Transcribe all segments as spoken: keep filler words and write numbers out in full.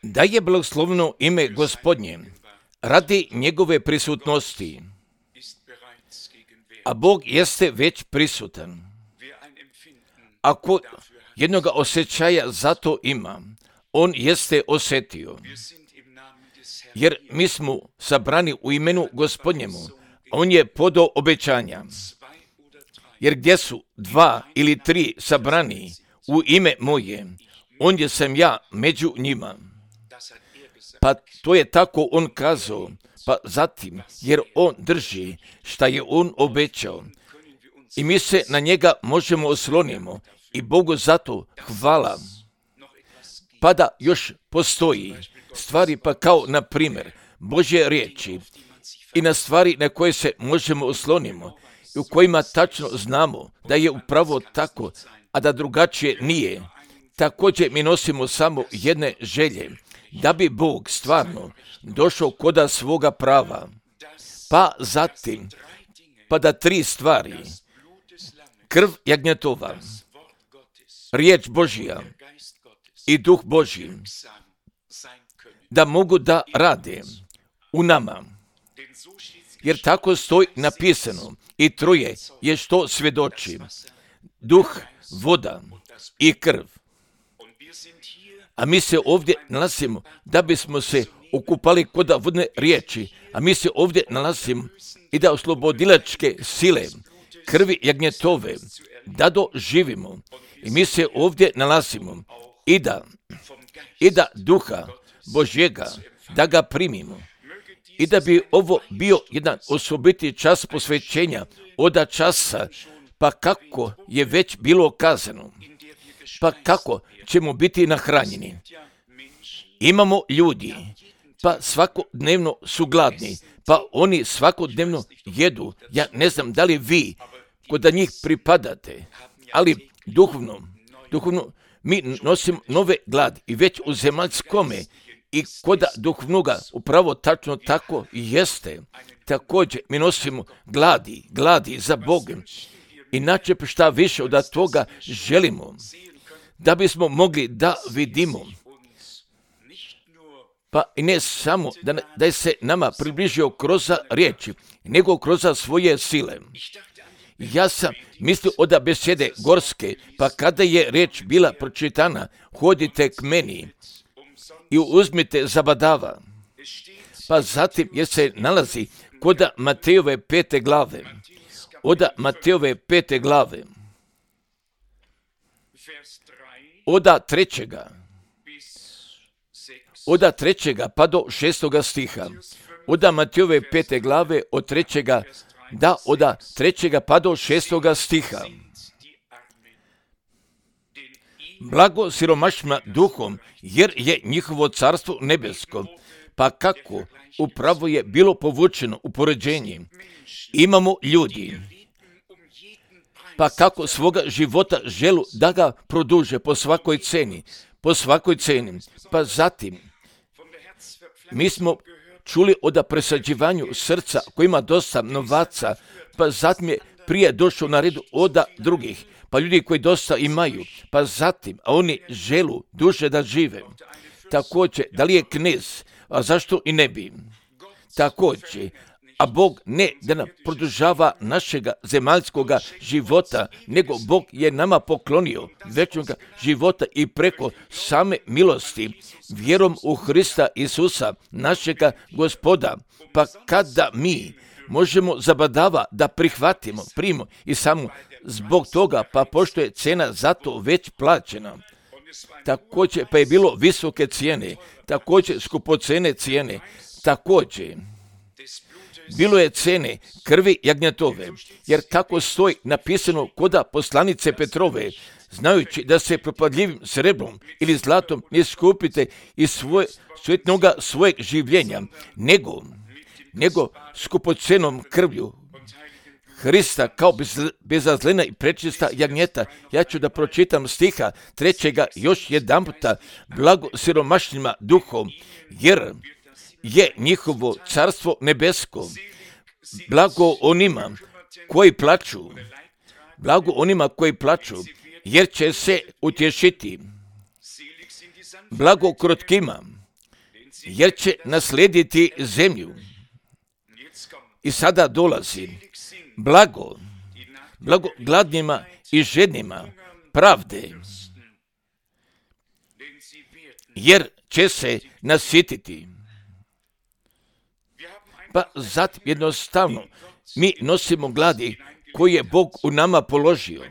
Da je blagosloveno ime Gospodnje radi njegove prisutnosti, a Bog jeste već prisutan. Ako jednoga osjećaja za to ima, on jeste osjetio. Jer mi smo sabrani u imenu Gospodnjemu, on je podao obećanja. Jer gdje su dva ili tri sabrani u ime moje, ondje sam ja među njima. Pa to je tako on kazao, pa zatim, jer on drži šta je on obećao. I mi se na njega možemo oslonimo i Bogu zato hvala. Pa da još postoji stvari, pa kao na primjer Božje riječi i na stvari na koje se možemo oslonimo i u kojima tačno znamo da je upravo tako, a da drugačije nije. Također mi nosimo samo jedne želje, da bi Bog stvarno došao koda svoga prava. Pa zatim, pa da tri stvari, krv jagnjetova, riječ Božja i duh Božji, da mogu da rade u nama. Jer tako stoji napisano i troje je što svjedoči, duh, voda i krv. A mi se ovdje nalazimo da bismo se okupali kod vodne riječi, a mi se ovdje nalazimo i da oslobodilačke sile, krvi jagnjetove, da doživimo. I mi se ovdje nalazimo i da, i da duha Božjega, da ga primimo. I da bi ovo bio jedan osobiti čas posvećenja od časa, pa kako je već bilo kazano, pa kako ćemo biti nahranjeni. Imamo ljudi, pa svakodnevno su gladni, pa oni svakodnevno jedu. Ja ne znam da li vi kod njih pripadate, ali duhovno, duhovno mi nosimo nove gladi i već u zemaljskome i kod duhovnoga upravo tačno tako i jeste. Također mi nosimo gladi, gladi za Bogom. Inače šta više od toga želimo, da bismo mogli da vidimo, pa i ne samo da, da je se nama približio kroz riječi, nego kroz svoje sile. Ja sam mislio od besede gorske, pa kada je riječ bila pročitana, hodite k meni i uzmite zabadava. Pa zatim je se nalazi kod Matejove pete glave, od Matejove pete glave, od trećega, od trećega pa do šestoga stiha, od Matejove pete glave, od trećega, da, od trećega pa do šestoga stiha. Blago siromašnima duhom, jer je njihovo carstvo nebesko. Pa kako upravo je bilo povučeno u poređenje. Imamo ljudi, pa kako svoga života želu da ga produže po svakoj ceni, po svakoj ceni. Pa zatim, mi smo čuli o presađivanju srca koji ima dosta novaca, pa zatim je prije došao na redu od drugih, pa ljudi koji dosta imaju, pa zatim, a oni želu duže da žive. Također, da li je knez, a zašto i ne bi? Također, a Bog ne da nam produžava našega zemaljskoga života, nego Bog je nama poklonio večnoga života i preko same milosti, vjerom u Hrista Isusa, našega Gospoda. Pa kada mi možemo zabadava da prihvatimo, primimo i samo zbog toga, pa pošto je cena za to već plaćena. Također, pa je bilo visoke cijene, također skupocene cijene, također bilo je cene krvi jagnjetove, jer kako stoji napisano koda poslanice Petrove, znajući da se propadljivim srebrom ili zlatom ne skupite iz svoje, svjetnoga svojeg življenja, nego, nego skupocenom krvlju Hrista kao bez, bezazlena i prečista jagnjeta. Ja ću da pročitam stiha trećega još jedan puta. Blago siromašnima duhom, jer je njihovo carstvo nebesko. Blago onima koji plaču, blago onima koji plaču, jer će se utješiti. blago krotkima, jer će naslijediti zemlju. I sada dolazi blago, blago gladnima i žednima pravde, jer će se nasjetiti. Pa zatim jednostavno mi nosimo gladi koji je Bog u nama položio.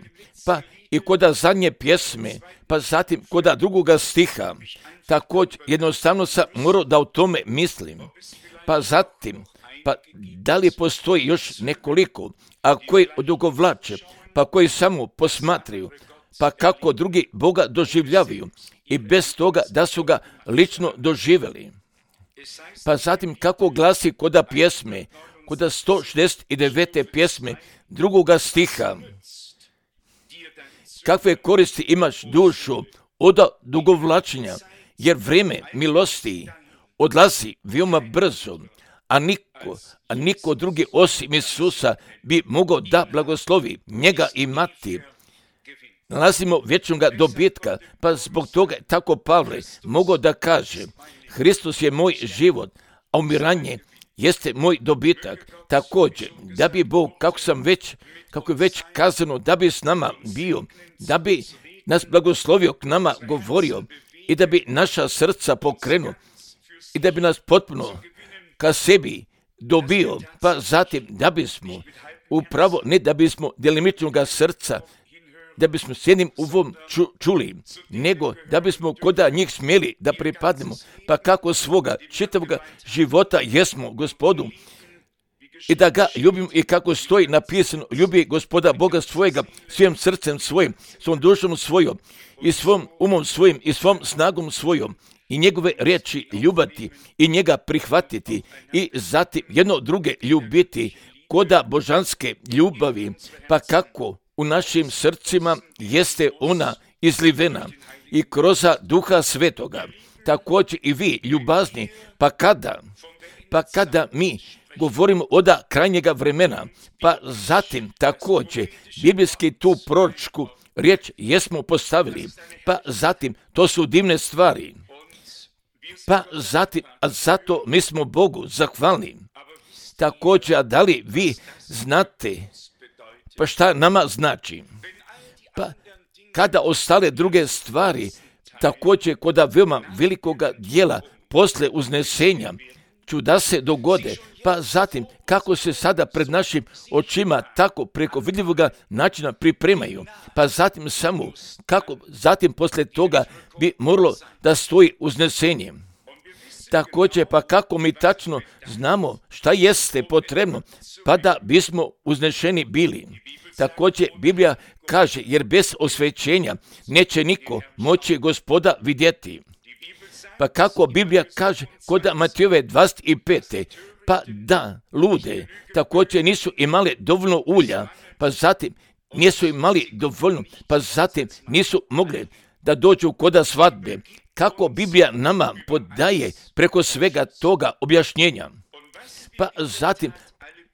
Pa i koda zadnje pjesme, pa zatim koda drugoga stiha, također jednostavno sam morao da o tome mislim. Pa zatim, pa da li postoji još nekoliko, a koji odugovlače, pa koji samo posmatraju, pa kako drugi Boga doživljavaju i bez toga da su ga lično doživjeli. Pa zatim kako glasi koda pjesme, koda sto šezdeset devete pjesme drugoga stiha, kakve koristi imaš dušu od dugovlačenja, jer vrijeme milosti odlazi veoma brzo, a niko, a niko drugi osim Isusa bi mogao da blagoslovi njega i mati. Nalazimo vječnog dobitka, pa zbog toga je tako Pavle mogao da kaže: Hristos je moj život, a umiranje jeste moj dobitak. Također, da bi Bog, kako sam već, kako je već kazano, da bi s nama bio, da bi nas blagoslovio, k nama govorio i da bi naša srca pokrenuo i da bi nas potpuno ka sebi dobio, pa zatim da bismo upravo, ne da bismo delimičnog srca, da bismo s jednim uvom ču, čuli, nego da bismo koda njih smjeli da pripadnemo, pa kako svoga čitavog života jesmo Gospodu i da ga ljubimo i kako stoji napisano: ljubi Gospoda Boga svojega svojim srcem svojim, svom dušom svojom i svom umom svojim i svom snagom svojom, i njegove riječi ljubati i njega prihvatiti i zatim jedno druge ljubiti koda božanske ljubavi, pa kako u našim srcima jeste ona izlivena i kroz Duha Svetoga. Također i vi ljubazni, pa kada, pa kada mi govorimo od krajnjega vremena, pa zatim također biblijski tu proročku riječ jesmo postavili, pa zatim to su divne stvari. Pa zatim, a zato mi smo Bogu zahvalni. Također, a da li vi znate pa šta nama znači? Pa kada ostale druge stvari, također koda veoma velikoga dijela posle uznesenja, čuda se dogode, pa zatim kako se sada pred našim očima tako preko vidljivog načina pripremaju, pa zatim samo kako zatim posle toga bi moralo da stoji uznesenje. Također, pa kako mi tačno znamo šta jeste potrebno, pa da bismo uznešeni bili. Također, Biblija kaže: jer bez osvećenja neće niko moći Gospoda vidjeti. Pa kako Biblija kaže kod Matejove dvadeset pete, pa da lude također nisu imali dovoljno ulja, pa zatim nisu imali dovoljno, pa zatim nisu mogli da dođu koda svadbe. Kako Biblija nama podaje preko svega toga objašnjenja. Pa zatim,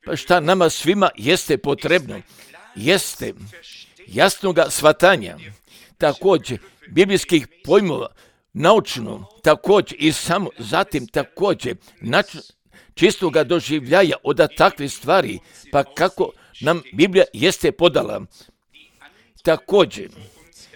pa šta nama svima jeste potrebno? Jeste jasnoga shvatanja, također biblijskih pojmova, naučno, također i samo zatim također nač, čistoga doživljaja od takvih stvari, pa kako nam Biblija jeste podala. Također,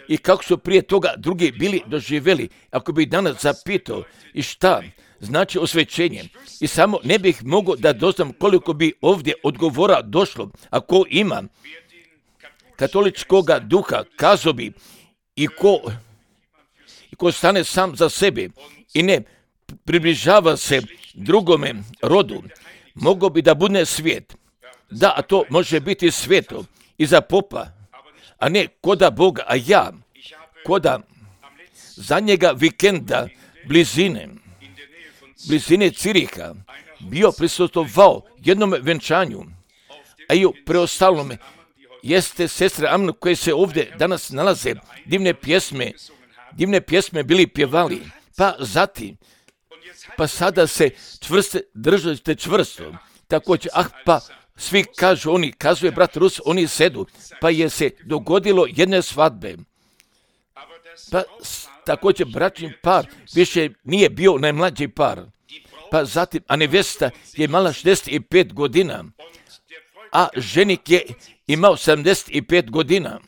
i kako su prije toga drugi bili doživjeli, ako bih danas zapitao i šta znači osvećenje, i samo ne bih mogao da doznam koliko bi ovdje odgovora došlo, ako ima katoličkoga duha, kazao bi i ko, i ko stane sam za sebe i ne približava se drugome rodu, mogao bi da bude svijet. Da, a to može biti sveto i za popa, a ne koda Boga, a ja koda zadnjega vikenda blizine, blizine Ciriha bio prisustvovao jednom venčanju, a i u preostalome jeste sestre Amno koje se ovdje danas nalaze, divne pjesme, divne pjesme bili pjevali, pa zatim, pa sada se čvrste, držite čvrsto, također, ah pa svi kažu, oni, kazuje brat Rus, oni sedu, pa je se dogodilo jedne svadbe. Pa također bračni par više nije bio najmlađi par. Pa zatim, a nevesta je imala šezdeset pet godina, a ženik je imao sedamdeset pet godina.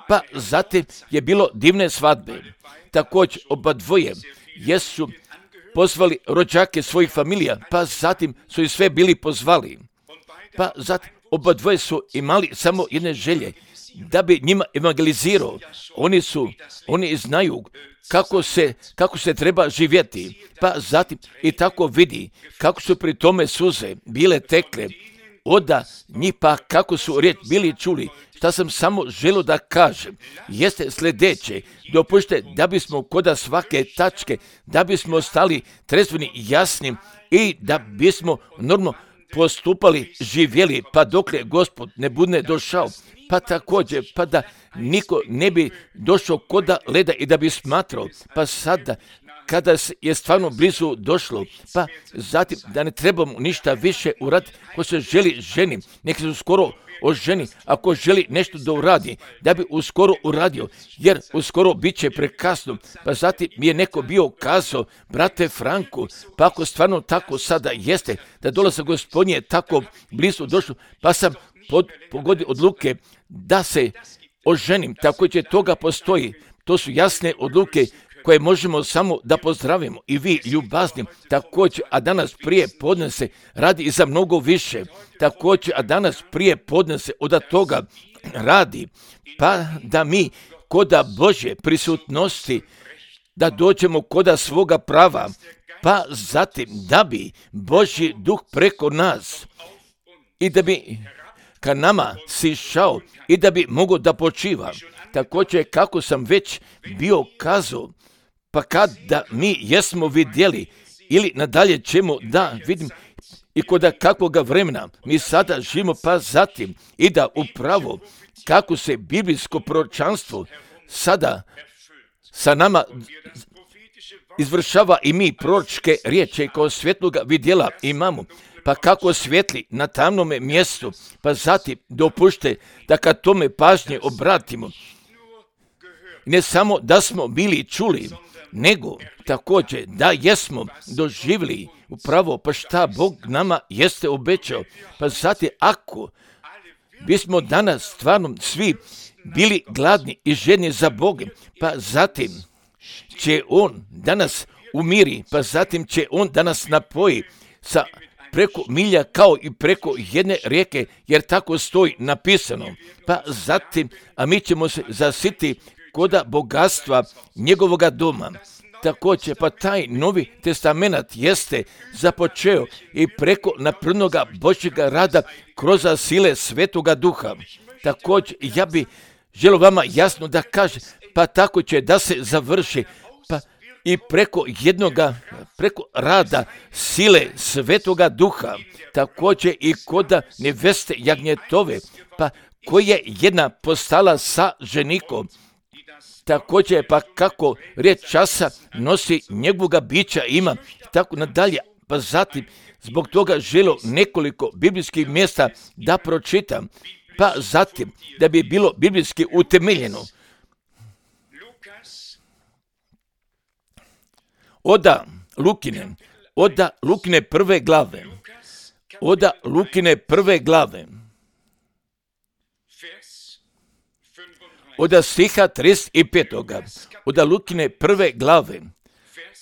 Pa zatim je bilo divne svadbe. Također oba dvoje jesu pozvali rođake svojih familija, pa zatim su i sve bili pozvali. Pa zatim oba dvoje su imali samo jedne želje, da bi njima evangelizirao. Oni su, oni znaju kako se, kako se treba živjeti. Pa zatim i tako vidi kako su pri tome suze bile tekle. Oda njih pa kako su riječ bili čuli. Šta sam samo želio da kažem jeste sljedeće. Dopušte da bismo kod svake tačke, da bismo stali trezveni, jasni i da bismo normalno postupali, živjeli, pa dokle Gospod ne bude došao. Pa također, pa da niko ne bi došao koda leda i da bi smatrao, pa sada kada je stvarno blizu došlo, pa zatim da ne trebamo ništa više uraditi. Ko se želi ženi, nek se uskoro oženi, ako želi nešto da uradi, da bi uskoro uradio, jer uskoro bit će prekasno. Pa zatim mi je neko bio kazao, brate Franku, pa ako stvarno tako sada jeste, da dolazak Gospodnji je tako blizu došlo, pa sam pod, pogodio odluke da se oženim, tako će toga postoji. To su jasne odluke koje možemo samo da pozdravimo i vi ljubaznim, također, a danas prije podne se radi i za mnogo više, također, a danas prije podne se od toga radi, pa da mi koda Božje prisutnosti, da dođemo koda svoga prava, pa zatim da bi Božji duh preko nas i da bi ka nama sišao i da bi mogao da počiva. Također, kako sam već bio kazao, pa kada mi jesmo vidjeli ili nadalje ćemo da vidim i kod kakvoga vremena mi sada živimo, pa zatim i da upravo kako se biblijsko proročanstvo sada sa nama izvršava i mi proročke riječi kao svjetloga vidjela imamo, pa kako svijetli na tamnome mjestu, pa zatim dopušte da kad tome pažnje obratimo, ne samo da smo bili čuli, nego također da jesmo doživjeli upravo pa šta Bog nama jeste obećao. Pa zatim ako bismo danas stvarno svi bili gladni i žedni za Bogom, pa zatim će On danas umiri, pa zatim će On danas napoji sa preko milja kao i preko jedne rijeke, jer tako stoji napisano. Pa zatim, a mi ćemo se zasiti koda bogatstva njegovoga doma. Također, pa taj Novi testament jeste započeo i preko naprnoga Božjega rada kroz sile Svetoga Duha. Također, ja bi želio vama jasno da kažem, pa tako će da se završi, pa i preko jednoga, preko rada sile Svetoga Duha, također i koda neveste jagnjetove, pa koja je jedna postala sa ženikom. Također, pa kako riječ časa nosi njegovoga bića ima, tako nadalje, pa zatim zbog toga želio nekoliko biblijskih mjesta da pročitam, pa zatim da bi bilo biblijski utemeljeno. Oda Lukine, oda Lukine prve glave, oda Lukine prve glave, oda stiha trideset pet. Oda Lukine prve glave,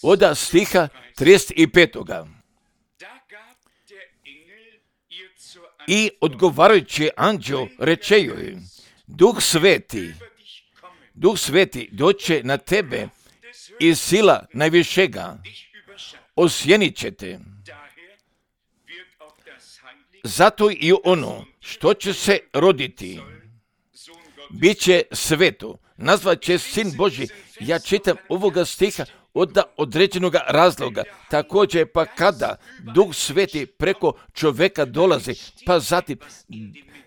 oda stiha trideset pet. I odgovarajući anđeo reče joj, Duh Sveti, Duh Sveti doće na tebe i sila najvišega osjenit će te. Zato i ono što će se roditi biće sveto, nazvat će Sin Božji. Ja čitam ovoga stiha od određenog razloga. Također, pa kada Duh Sveti preko čovjeka dolazi, pa zatim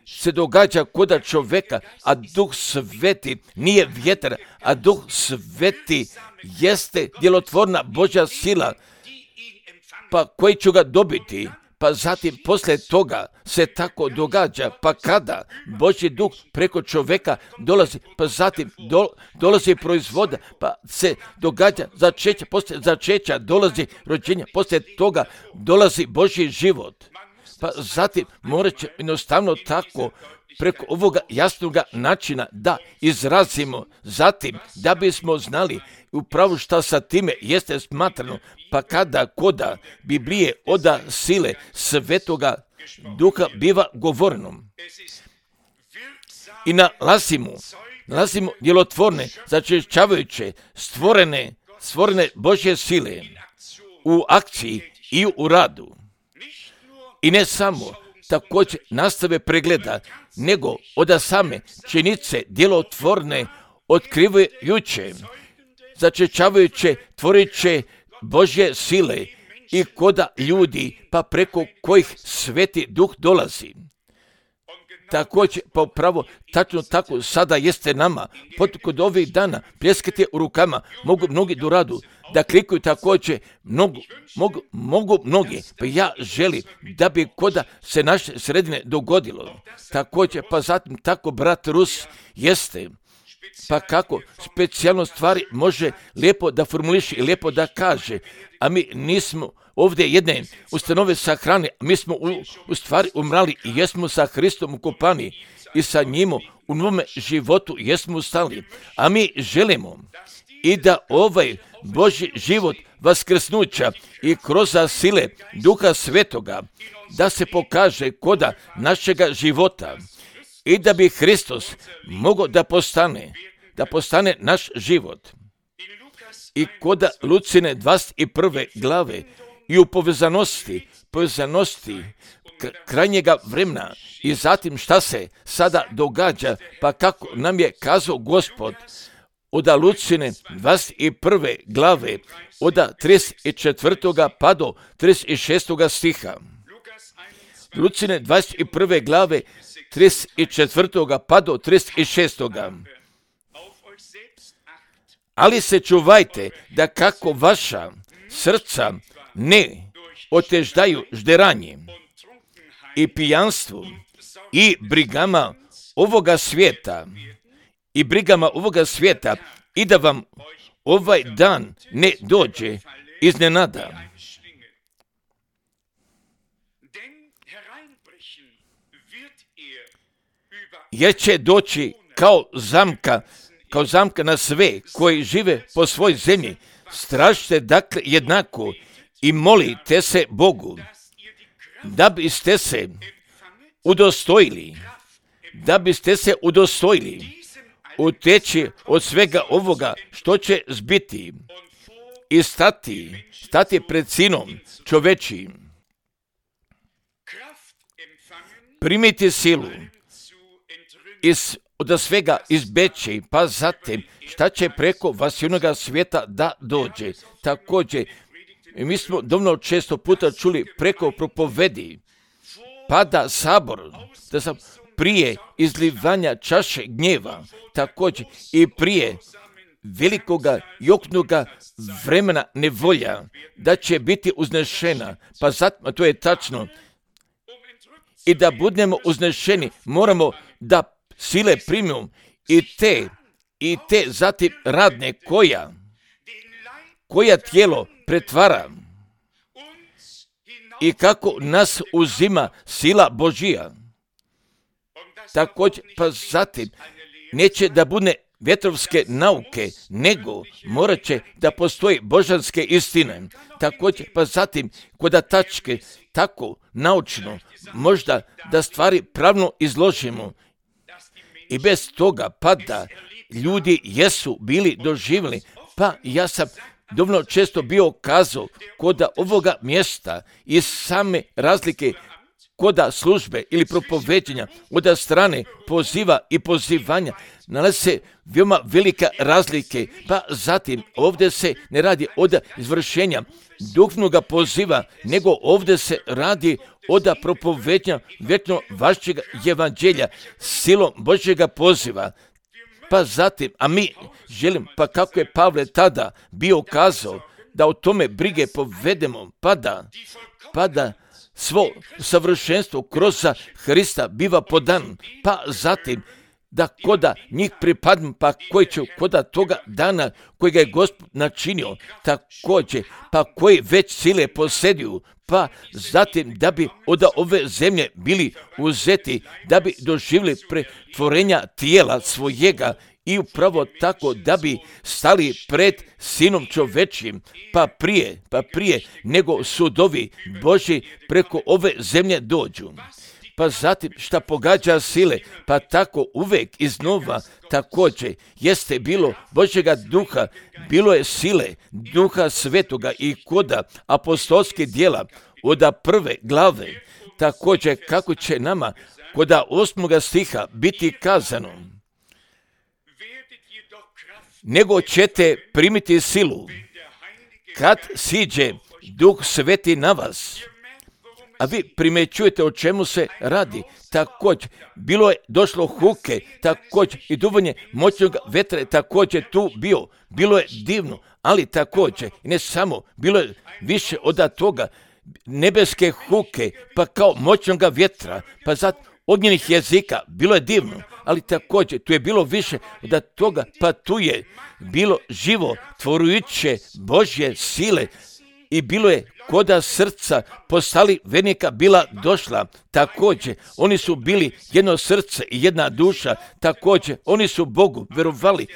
se događa koda čovjeka, a Duh Sveti nije vjetar, a Duh Sveti jeste djelotvorna Božja sila, pa koji ću ga dobiti, pa zatim poslije toga se tako događa, pa kada Božji duh preko čovjeka dolazi, pa zatim do, dolazi proizvoda, pa se događa začeća, poslije začeća dolazi rođenje, poslije toga dolazi Božji život. Pa zatim morat će jednostavno tako preko ovoga jasnoga načina da izrazimo, zatim da bismo znali upravo šta sa time jeste smatrano, pa kada koda Biblije oda sile Svetoga Duha biva govoreno. I nalazimo, nalazimo djelotvorne, začešćavajuće, stvorene, stvorene Božje sile u akciji i u radu. I ne samo također nastave pregleda, nego od same činjenice djelotvorne, otkrivajuće, začešćavajuće, tvoriće Božje sile i koda ljudi, pa preko kojih Sveti Duh dolazi. Također, pa upravo, tačno tako sada jeste nama, pod kod ovih dana, pljeskate u rukama, mogu mnogi do radu, da klikuju također, mogu, mogu, mogu mnogi, pa ja želim da bi koda se naše sredine dogodilo. Također, pa zatim tako brat Rus jeste, pa kako specijalno stvari može lijepo da formuliši i lijepo da kaže, a mi nismo ovdje jedne ustanove sahrane, mi smo u, u stvari umrali i jesmo sa Hristom ukopani i sa njim u novome životu jesmo stali, a mi želimo i da ovaj Božji život vaskrsnuća i kroz sile Duha Svetoga da se pokaže koda našega života i da bi Hristos mogao da postane, da postane naš život. I koda Lucine dvadeset prve glave i u povezanosti, povezanosti krajnjega vremena i zatim šta se sada događa, pa kako nam je kazao Gospod od Lucine dvadeset prve glave, od trideset četvrtoga pa do trideset šestoga stiha. Lucine dvadeset prve glave, trideset četvrtoga pa do trideset šestoga. Ali se čuvajte da kako vaša srca ne oteždaju žderanje i pijanstvu i brigama ovoga svijeta i brigama ovoga svijeta i da vam ovaj dan ne dođe iznenada. Jer će doći kao zamka, kao zamka na sve koji žive po svoj zemlji. Stražite dakle jednako i molite se Bogu da biste se udostojili, da biste se udostojili uteći od svega ovoga što će zbiti i stati, stati pred sinom čovečijim. Primiti silu iz, od svega izbeći, pa zatim šta će preko vasilnoga svijeta da dođe. Također, mi smo dovoljno često puta čuli preko propovedi, pa da sabor, da sam prije izlivanja čaše gnjeva, također i prije velikoga i oknoga vremena nevolja, da će biti uznešena, pa zatim, to je tačno, i da budemo uznešeni, moramo da sile primimo i te, i te zatim radne koja, koja tijelo pretvara i kako nas uzima sila Božija. Također, pa zatim, neće da bude vjetrovske nauke, nego morat će da postoji božanske istine. Također, pa zatim, kod tačke, tako naučno, možda da stvari pravno izložimo. I bez toga, pa da ljudi jesu bili doživjeli, pa ja sam dovoljno često bio kazao kod ovoga mjesta i same razlike kod službe ili propoveđenja od strane poziva i pozivanja nalazi se veoma velika razlike, pa zatim ovdje se ne radi od izvršenja duhovnog poziva, nego ovdje se radi od propoveđenja vječno vašeg evanđelja silom Božjega poziva. Pa zatim, a mi želim, pa kako je Pavle tada bio kazao, da o tome brige povedemo, pa da, pa da svo savršenstvo kroz Hrista biva podan, pa zatim da koda njih pripadnu, pa koji će koda toga dana kojega je Gospod načinio, također, pa koji već sile posjeduju, pa zatim da bi od ove zemlje bili uzeti, da bi doživjeli pretvorenja tijela svojega i upravo tako da bi stali pred Sinom čovečjim, pa prije, pa prije nego sudovi Božji preko ove zemlje dođu. Pa zatim šta pogađa sile, pa tako uvek iznova također jeste bilo Božjega duha, bilo je sile duha svetoga i koda apostolskih djela od prve glave, također kako će nama koda osmoga stiha biti kazano, nego ćete primiti silu kad siđe Duh Sveti na vas. A vi primećujete o čemu se radi. Također, bilo je došlo huke, također i duvanje moćnog vetra je također tu bio. Bilo je divno, ali također, i ne samo, bilo je više od toga, nebeske huke, pa kao moćnog vjetra, pa zato ognjenih jezika, bilo je divno, ali također tu je bilo više od toga, pa tu je bilo živo, tvorujuće Božje sile i bilo je koda srca postali vernika bila došla, također oni su bili jedno srce i jedna duša, također oni su Bogu verovali,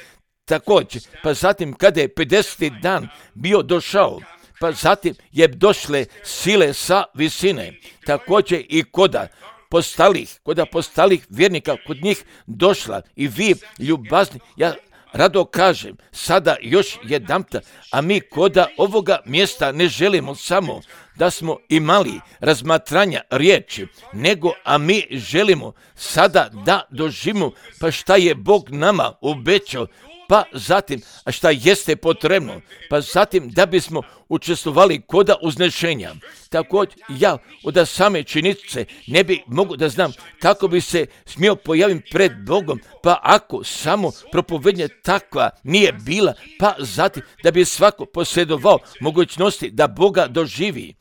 također, pa zatim kada je pedeseti dan bio došao, pa zatim je došle sile sa visine, također i koda postalih, koda postalih vjernika kod njih došla i vi ljubazni, ja rado kažem, sada još jedanput, a mi koda ovoga mjesta ne želimo samo da smo imali razmatranja riječi, nego a mi želimo sada da doživimo pa šta je Bog nama obećao, pa zatim, a šta jeste potrebno, pa zatim da bismo učestvovali koda uznešenja. Također ja od same činjenice ne bi mogu da znam kako bi se smio pojaviti pred Bogom, pa ako samo propovednja takva nije bila, pa zatim da bi svako posjedovao mogućnosti da Boga doživi.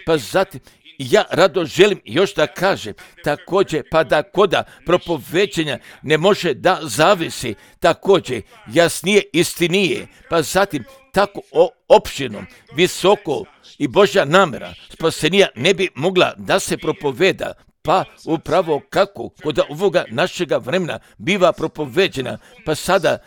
Pa zatim ja rado želim još da kažem, također, pa da koda propoveđenja ne može da zavisi, također, jasnije, istinije, pa zatim tako opširno, visoko i Božja namjera spasenija ne bi mogla da se propoveda, pa upravo kako kod ovoga našega vremena biva propoveđena, pa sada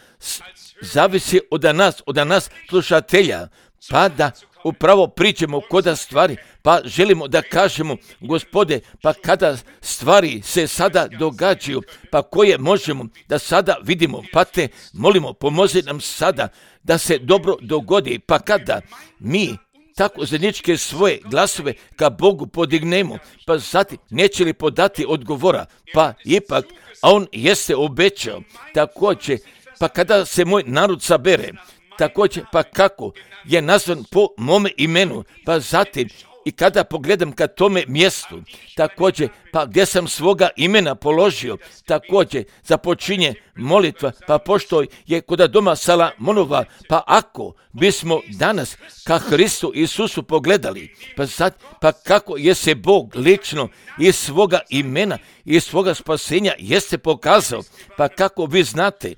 zavisi od nas, od nas slušatelja, pa da upravo pričamo koda stvari, pa želimo da kažemo, Gospode, pa kada stvari se sada događaju, pa koje možemo da sada vidimo, pa te molimo, pomozi nam sada da se dobro dogodi, pa kada mi tako zajedničke svoje glasove ka Bogu podignemo, pa zatim neće li podati odgovora, pa ipak, a on jeste obećao, također, pa kada se moj narod sabere, također, pa kako je nazvan po mome imenu, pa zatim i kada pogledam ka tome mjestu, također, pa gdje sam svoga imena položio, također, započinje molitva, pa pošto je kod doma Salamonova, pa ako bismo danas ka Hristu Isusu pogledali, pa, sad, pa kako je se Bog lično iz svoga imena, iz svoga spasenja jeste pokazao, pa kako vi znate,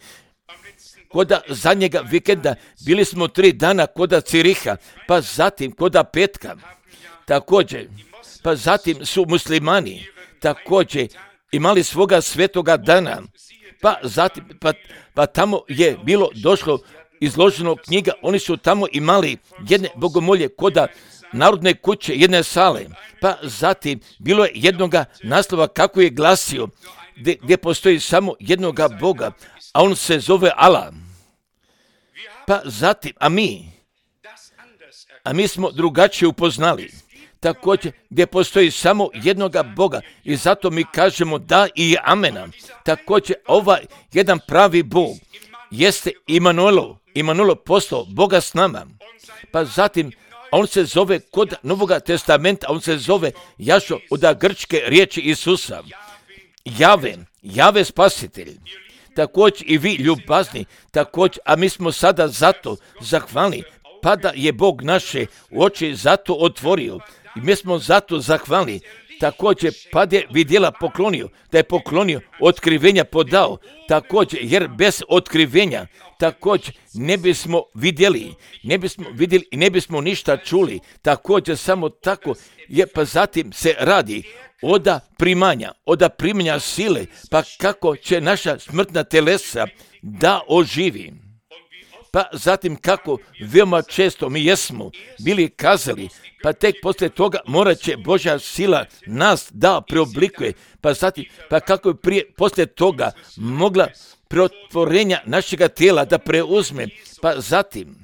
koda zadnjega vikenda bili smo tri dana koda Ciriha, pa zatim koda petka, također, pa zatim su muslimani također imali svoga svetoga dana, pa zatim, pa, pa tamo je bilo došlo izloženo knjiga, oni su tamo imali jedne bogomolje koda narodne kuće, jedne sale, pa zatim bilo je jednoga naslova kako je glasio, gdje, gdje postoji samo jednoga Boga, a on se zove Allah. Pa zatim, a mi, a mi smo drugačije upoznali, također gdje postoji samo jednoga Boga i zato mi kažemo da i amena. Također ovaj jedan pravi Bog jeste Imanuelo, Imanuelo postao Boga s nama. Pa zatim on se zove kod Novoga testamenta, on se zove Jašo od grčke riječi Isusa. Jave, Jave spasitelj. Također i vi ljubazni, također, a mi smo sada zato zahvalni, pa da je Bog naše oči zato otvorio, I mi smo zato zahvalni. Također, pa je vidjela poklonio, da je poklonio, otkrivenja podao, također, jer bez otkrivenja, također, ne bismo vidjeli, ne bismo vidjeli i ne bismo ništa čuli, također, samo tako, je, pa zatim se radi oda primanja, oda primanja sile, pa kako će naša smrtna telesa da oživi. Pa zatim kako veoma često mi jesmo bili kazali, pa tek poslije toga morat će Božja sila nas da preoblikuje, pa zatim, pa kako je prije, poslije toga mogla preotvorenja našega tijela da preuzme, pa zatim,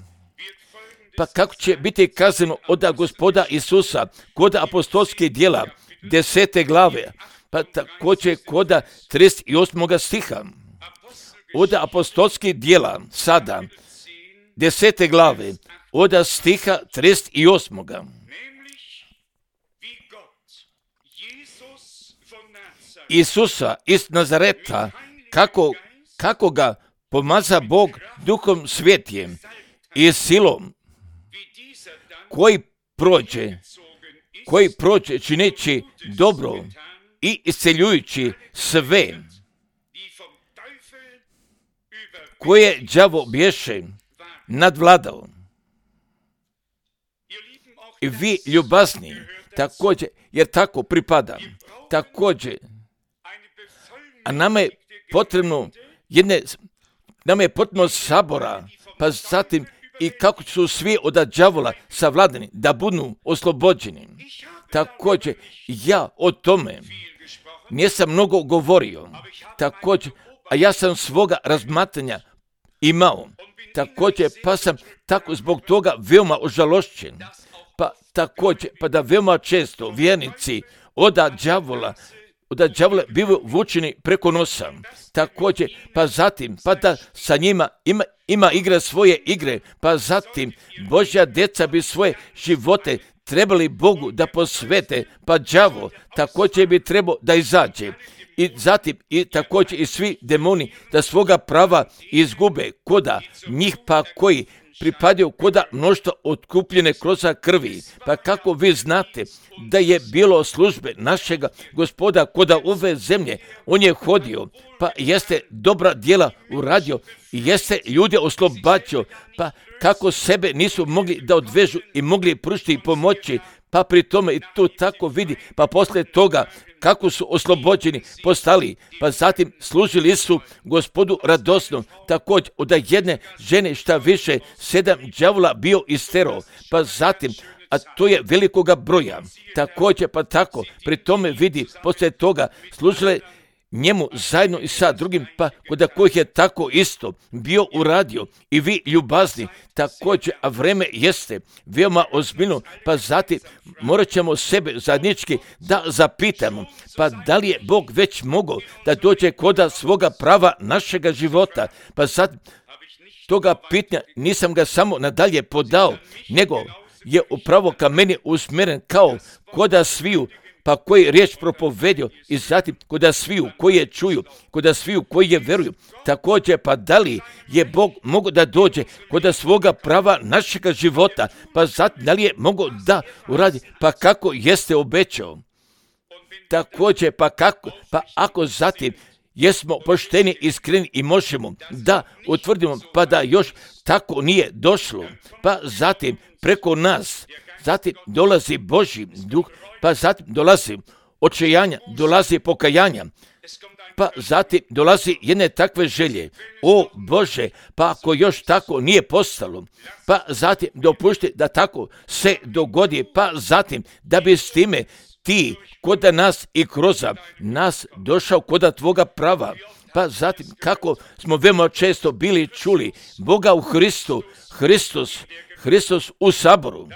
pa kako će biti kazano od Gospoda Isusa kod apostolskih djela desete glave, pa također kod trideset osmog stiha, od apostolskih djela sada, desete glave, od stiha trideset osmog. Isusa iz Nazareta, kako, kako ga pomaza Bog Duhom Svetijem i silom, koji prođe, koji prođe čineći dobro i isceljujući sve, koje đavo bješe nadvladao. I vi ljubazni, također, jer tako pripada, također, a nama je potrebno jedne, nama je potrebno sabora, pa zatim i kako su svi od đavola savladani, da budu oslobođeni. Također, ja o tome nisam mnogo govorio, također, a ja sam svoga razmatranja imao, također, pa sam tako zbog toga veoma ožalošćen, pa također, pa da veoma često vjernici od đavola, od đavola bivaju vučeni preko nosa, također, pa zatim, pa da sa njima ima, ima igra svoje igre, pa zatim Božja djeca bi svoje živote trebali Bogu da posvete, pa đavo također bi trebao da izađe. I zatim i također i svi demoni da svoga prava izgube koda njih pa koji pripadaju koda mnoštva otkupljene kroz krvi. Pa kako vi znate da je bilo službe našega Gospoda koda ove zemlje, on je hodio, pa jeste dobra djela uradio i jeste ljude oslobađao, pa kako sebe nisu mogli da odvežu i mogli pružiti i pomoći, pa pri tome i to tako vidi, pa poslije toga kako su oslobođeni postali, pa zatim služili su Gospodu radosno, također od jedne žene šta više sedam đavola bio istero, pa zatim, a to je velikoga broja, također pa tako, pri tome vidi, poslije toga služile njemu zajedno i sa drugim, pa kod kojih je tako isto bio uradio i vi ljubazni, također, a vreme jeste veoma ozbiljno, pa zatim morat ćemo sebe zajednički da zapitamo, pa da li je Bog već mogao da dođe koda svoga prava našega života, pa zatim toga pitanja nisam ga samo nadalje podao, nego je upravo ka meni usmjeren kao koda sviju, pa koji riječ propovedio i zatim koda sviju koji je čuju, koda sviju koji je veruju, također pa da li je Bog mogao da dođe koda svoga prava našega života, pa zatim da li je mogao da uradi, pa kako jeste obećao, također pa kako, pa ako zatim jesmo pošteni, iskreni i možemo da utvrdimo, pa da još tako nije došlo, pa zatim preko nas, zatim dolazi Božji duh, pa zatim dolazi očajanja, dolazi pokajanja, pa zatim dolazi jedne takve želje, o Bože, pa ako još tako nije postalo, pa zatim dopušti da tako se dogodi, pa zatim da bi s time ti koda nas i kroz nas došao koda tvoga prava, pa zatim kako smo veoma često bili čuli Boga u Hristu, Hristos, Hristos u saboru,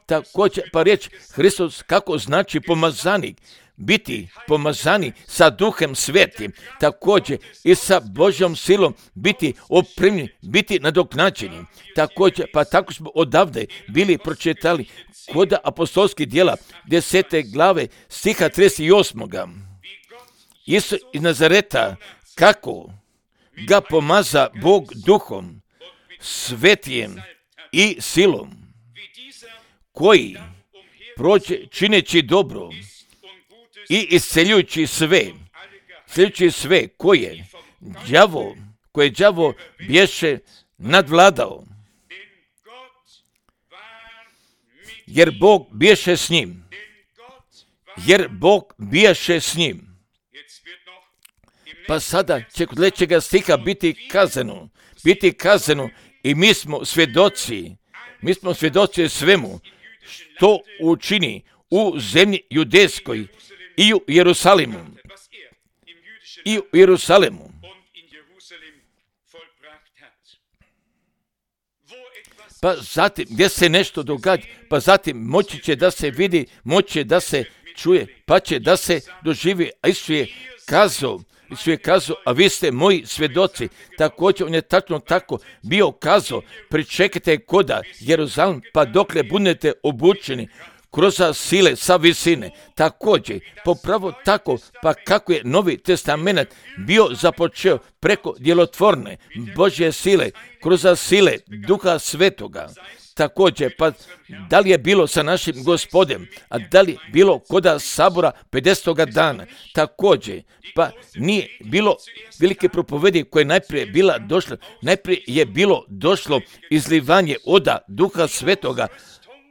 također pa riječ Hristos kako znači pomazanik, biti pomazani sa Duhem Svetim, također i sa Božjom silom biti opremljeni, biti nadoknađeni, također pa tako smo odavde bili pročitali kod apostolskih djela desete glave stiha trideset osmog. Isus iz Nazareta, kako ga pomaza Bog Duhom Svetijem i silom, koji prođe čineći dobro i isceljujući sve, isceljujući sve koje đavo, koje đavo bješe nadvladao. Jer Bog biješe s njim. Jer Bog biješe s njim. Pa sada će kod sljedećega stiha biti kazano, biti kazano i mi smo svjedoci, mi smo svjedoci svemu što učini u zemlji judejskoj i u Jerusalimu. I u Jerusalimu. Pa zatim, gdje se nešto događa, pa zatim moći će da se vidi, moći će da se čuje, pa će da se doživi. A Isus je kazao, Isus je kazao, a vi ste moji svjedoci. Također, on je tačno tako bio kazao, pričekajte koda Jeruzalem, pa dokle budete obučeni kroz sile sa visine. Također, popravo tako, pa kako je Novi Testament bio započeo preko djelotvorne Božje sile, kroz sile Duha Svetoga. Također, pa da li je bilo sa našim Gospodem, a da li je bilo koda sabora pedesetoga dana, također, pa nije bilo velike propovedi koje najprije bila došla, najprije je bilo došlo izlivanje oda Duha Svetoga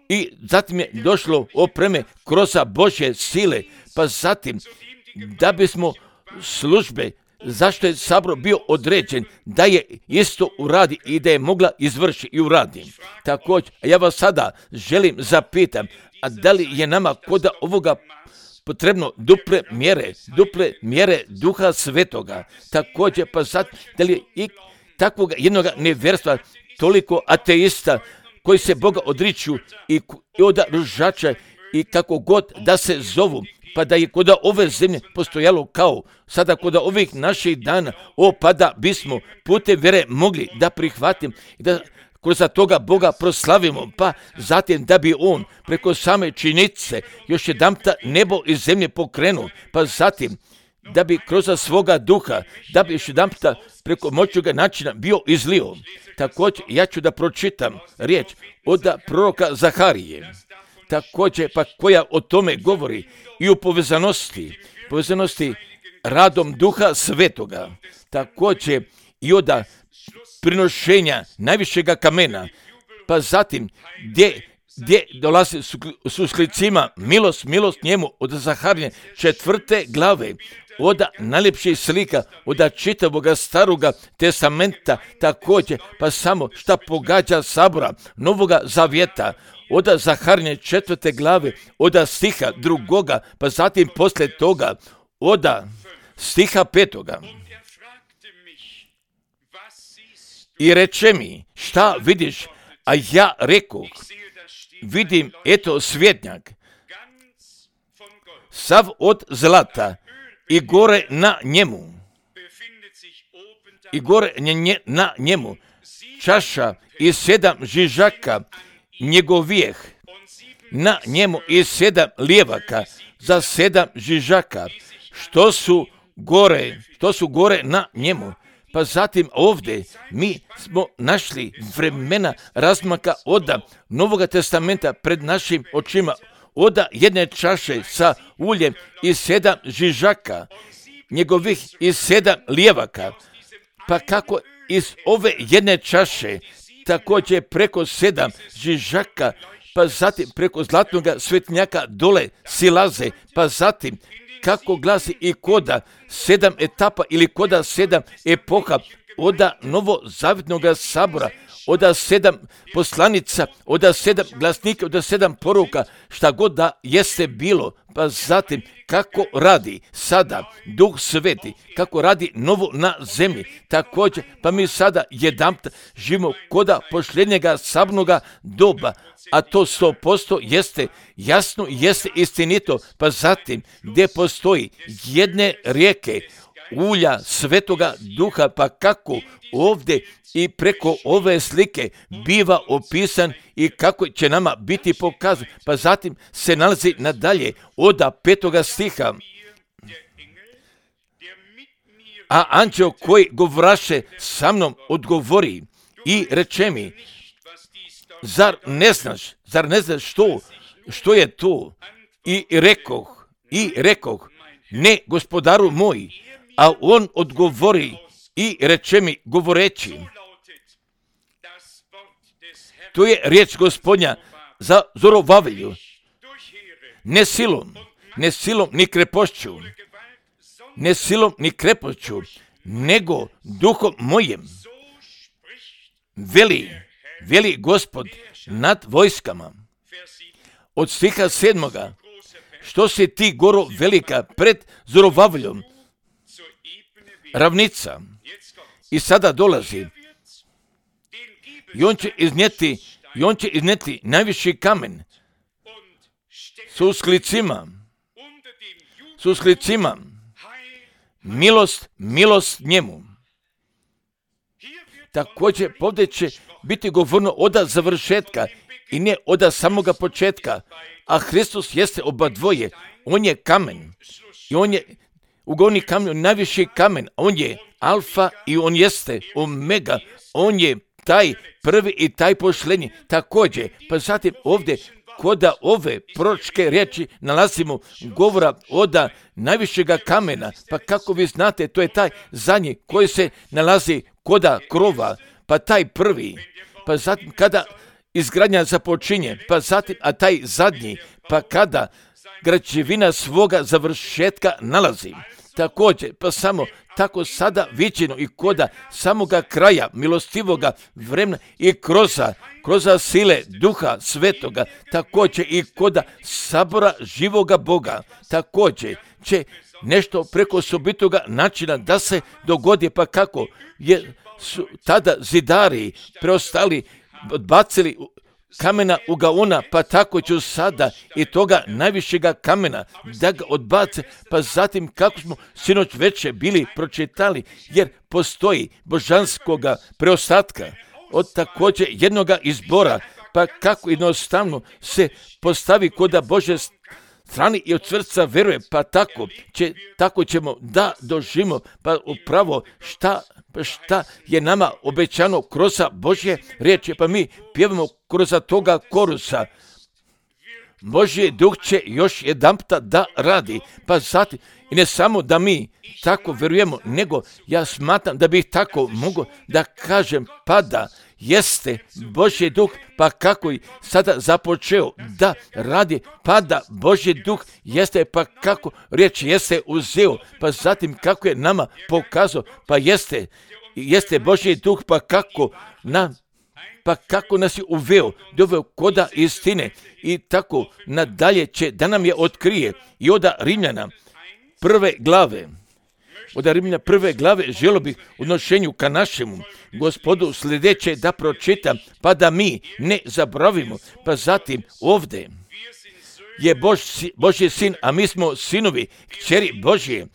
i zatim je došlo opreme kroz Božje sile, pa zatim da bismo službe, zašto je sabor bio određen, da je isto uradi i da je mogla izvrši i uradi. Također, ja vas sada želim zapitam, a da li je nama koda ovoga potrebno duple mjere, duple mjere Duha Svetoga. Također, pa zatim, da li je i takvog jednog nevjerstva, toliko ateista koji se Boga odriču i od ružača i kako god da se zovu, pa da je kod ove zemlje postojalo kao sada kod ovih naših dana, o pa da bismo putem vjere mogli da prihvatimo i da kroz toga Boga proslavimo, pa zatim da bi On preko same činjenice još jedanputa nebo i zemlje pokrenuo, pa zatim da bi kroz svoga duha, da bi još jedanputa preko moćnoga načina bio izlio. Također, ja ću da pročitam riječ od proroka Zaharije. Također, pa koja o tome govori i u povezanosti, povezanosti radom Duha Svetoga. Također, i od prinošenja najvišega kamena, pa zatim gdje, gdje dolazi su sklicima milost, milost njemu od Zaharije četvrte glave, od najljepših slika, od čitavoga staroga testamenta, također, pa samo šta pogađa sabora Novoga Zavjeta, od Zaharije četvrte glave, od stiha drugoga, pa zatim poslije toga, od stiha petoga. I reče mi, šta vidiš, a ja rekoh, vidim eto svjetnjak, sav od zlata, i gore na njemu, i gore na njemu, čaša i sedam žižaka njegovijeh, na njemu i sedam lijevaka za sedam žižaka, što su gore, što su gore na njemu. Pa zatim ovdje mi smo našli vremena razmaka od Novoga Testamenta pred našim očima, od jedne čaše sa uljem i sedam žižaka, njegovih i sedam lijevaka. Pa kako iz ove jedne čaše, također preko sedam žižaka, pa zatim preko zlatnog svetnjaka dole silaze, pa zatim kako glasi i koda sedam etapa ili koda sedam epoha od novozavjetnog sabora, od sedam poslanica, od sedam glasnika, od sedam poruka, šta god da jeste bilo, pa zatim kako radi sada Duh Sveti, kako radi novo na zemlji. Također, pa mi sada jedanput živimo koda posljednjega sabnoga doba, a to sto posto jeste jasno, jeste istinito, pa zatim gdje postoji jedne rijeke ulja Svetoga Duha, pa kako ovdje i preko ove slike biva opisan i kako će nama biti pokazan, pa zatim se nalazi nadalje od petoga stiha. A anđeo koji govraše sa mnom odgovori i reče mi, zar ne znaš, zar ne znaš što što je to? I rekoh, i rekoh, ne gospodaru moj, a on odgovori i reče mi govoreći. To je riječ Gospodnja za Zorovavelju. Ne silom, ne silom ni krepošću, ne silom ni krepošću, nego duhom mojim. Veli, veli Gospod nad vojskama. Od stiha sedmoga, što se ti goro velika pred Zorovavljom, ravnica. I sada dolazi. I on će iznijeti, i on će iznijeti najviši kamen s usklicima, s usklicima, milost, milost njemu. Također ovdje će biti govorno oda završetka i ne oda samoga početka, a Hristos jeste oba dvoje. On je kamen i on je ugovni kamen, najviši kamen. On je alfa i on jeste omega. On je taj prvi i taj posljednji. Također, pa zatim ovdje koda ove proročke riječi nalazimo govora oda najvišega kamena. Pa kako vi znate, to je taj zadnji koji se nalazi koda krova, pa taj prvi, pa zatim kada izgradnja započinje, pa zatim, a taj zadnji, pa kada građevina svoga završetka nalazi. Također, pa samo tako sada viđeno i koda samoga kraja milostivoga vremena i kroza, kroza sile Duha Svetoga, također i koda sabora živoga Boga, također će nešto preko osobitoga načina da se dogodi, pa kako je su tada zidari preostali odbacili kamena u gaona, pa tako ću sada i toga najvišega kamena da ga odbace, pa zatim kako smo sinoć veče bili pročitali, jer postoji božanskoga preostatka od također jednoga izbora, pa kako jednostavno se postavi koda Bože strani i od srca veruje, pa tako, će, tako ćemo da doživimo, pa upravo šta, šta je nama obećano kroz Božje riječi, pa mi pjevamo kroz toga korusa. Božji duh će još jedanputa da radi, pa zatim, i ne samo da mi tako verujemo, nego ja smatram da bih tako mogao da kažem, pa da jeste Božji duh, pa kako i sada započeo da radi, pa da Božji duh jeste, pa kako riječ jeste uzeo, pa zatim kako je nama pokazao, pa jeste, jeste Božji duh, pa kako nam pa kako nas je uveo, doveo koda istine i tako nadalje će da nam je otkrije i oda Rimljana prve glave. Od Rimljana prve glave želio bih u odnošenju ka našemu Gospodu sljedeće da pročitam, pa da mi ne zaboravimo. Pa zatim ovdje je Bož, Božji sin, a mi smo sinovi, kćeri Božje.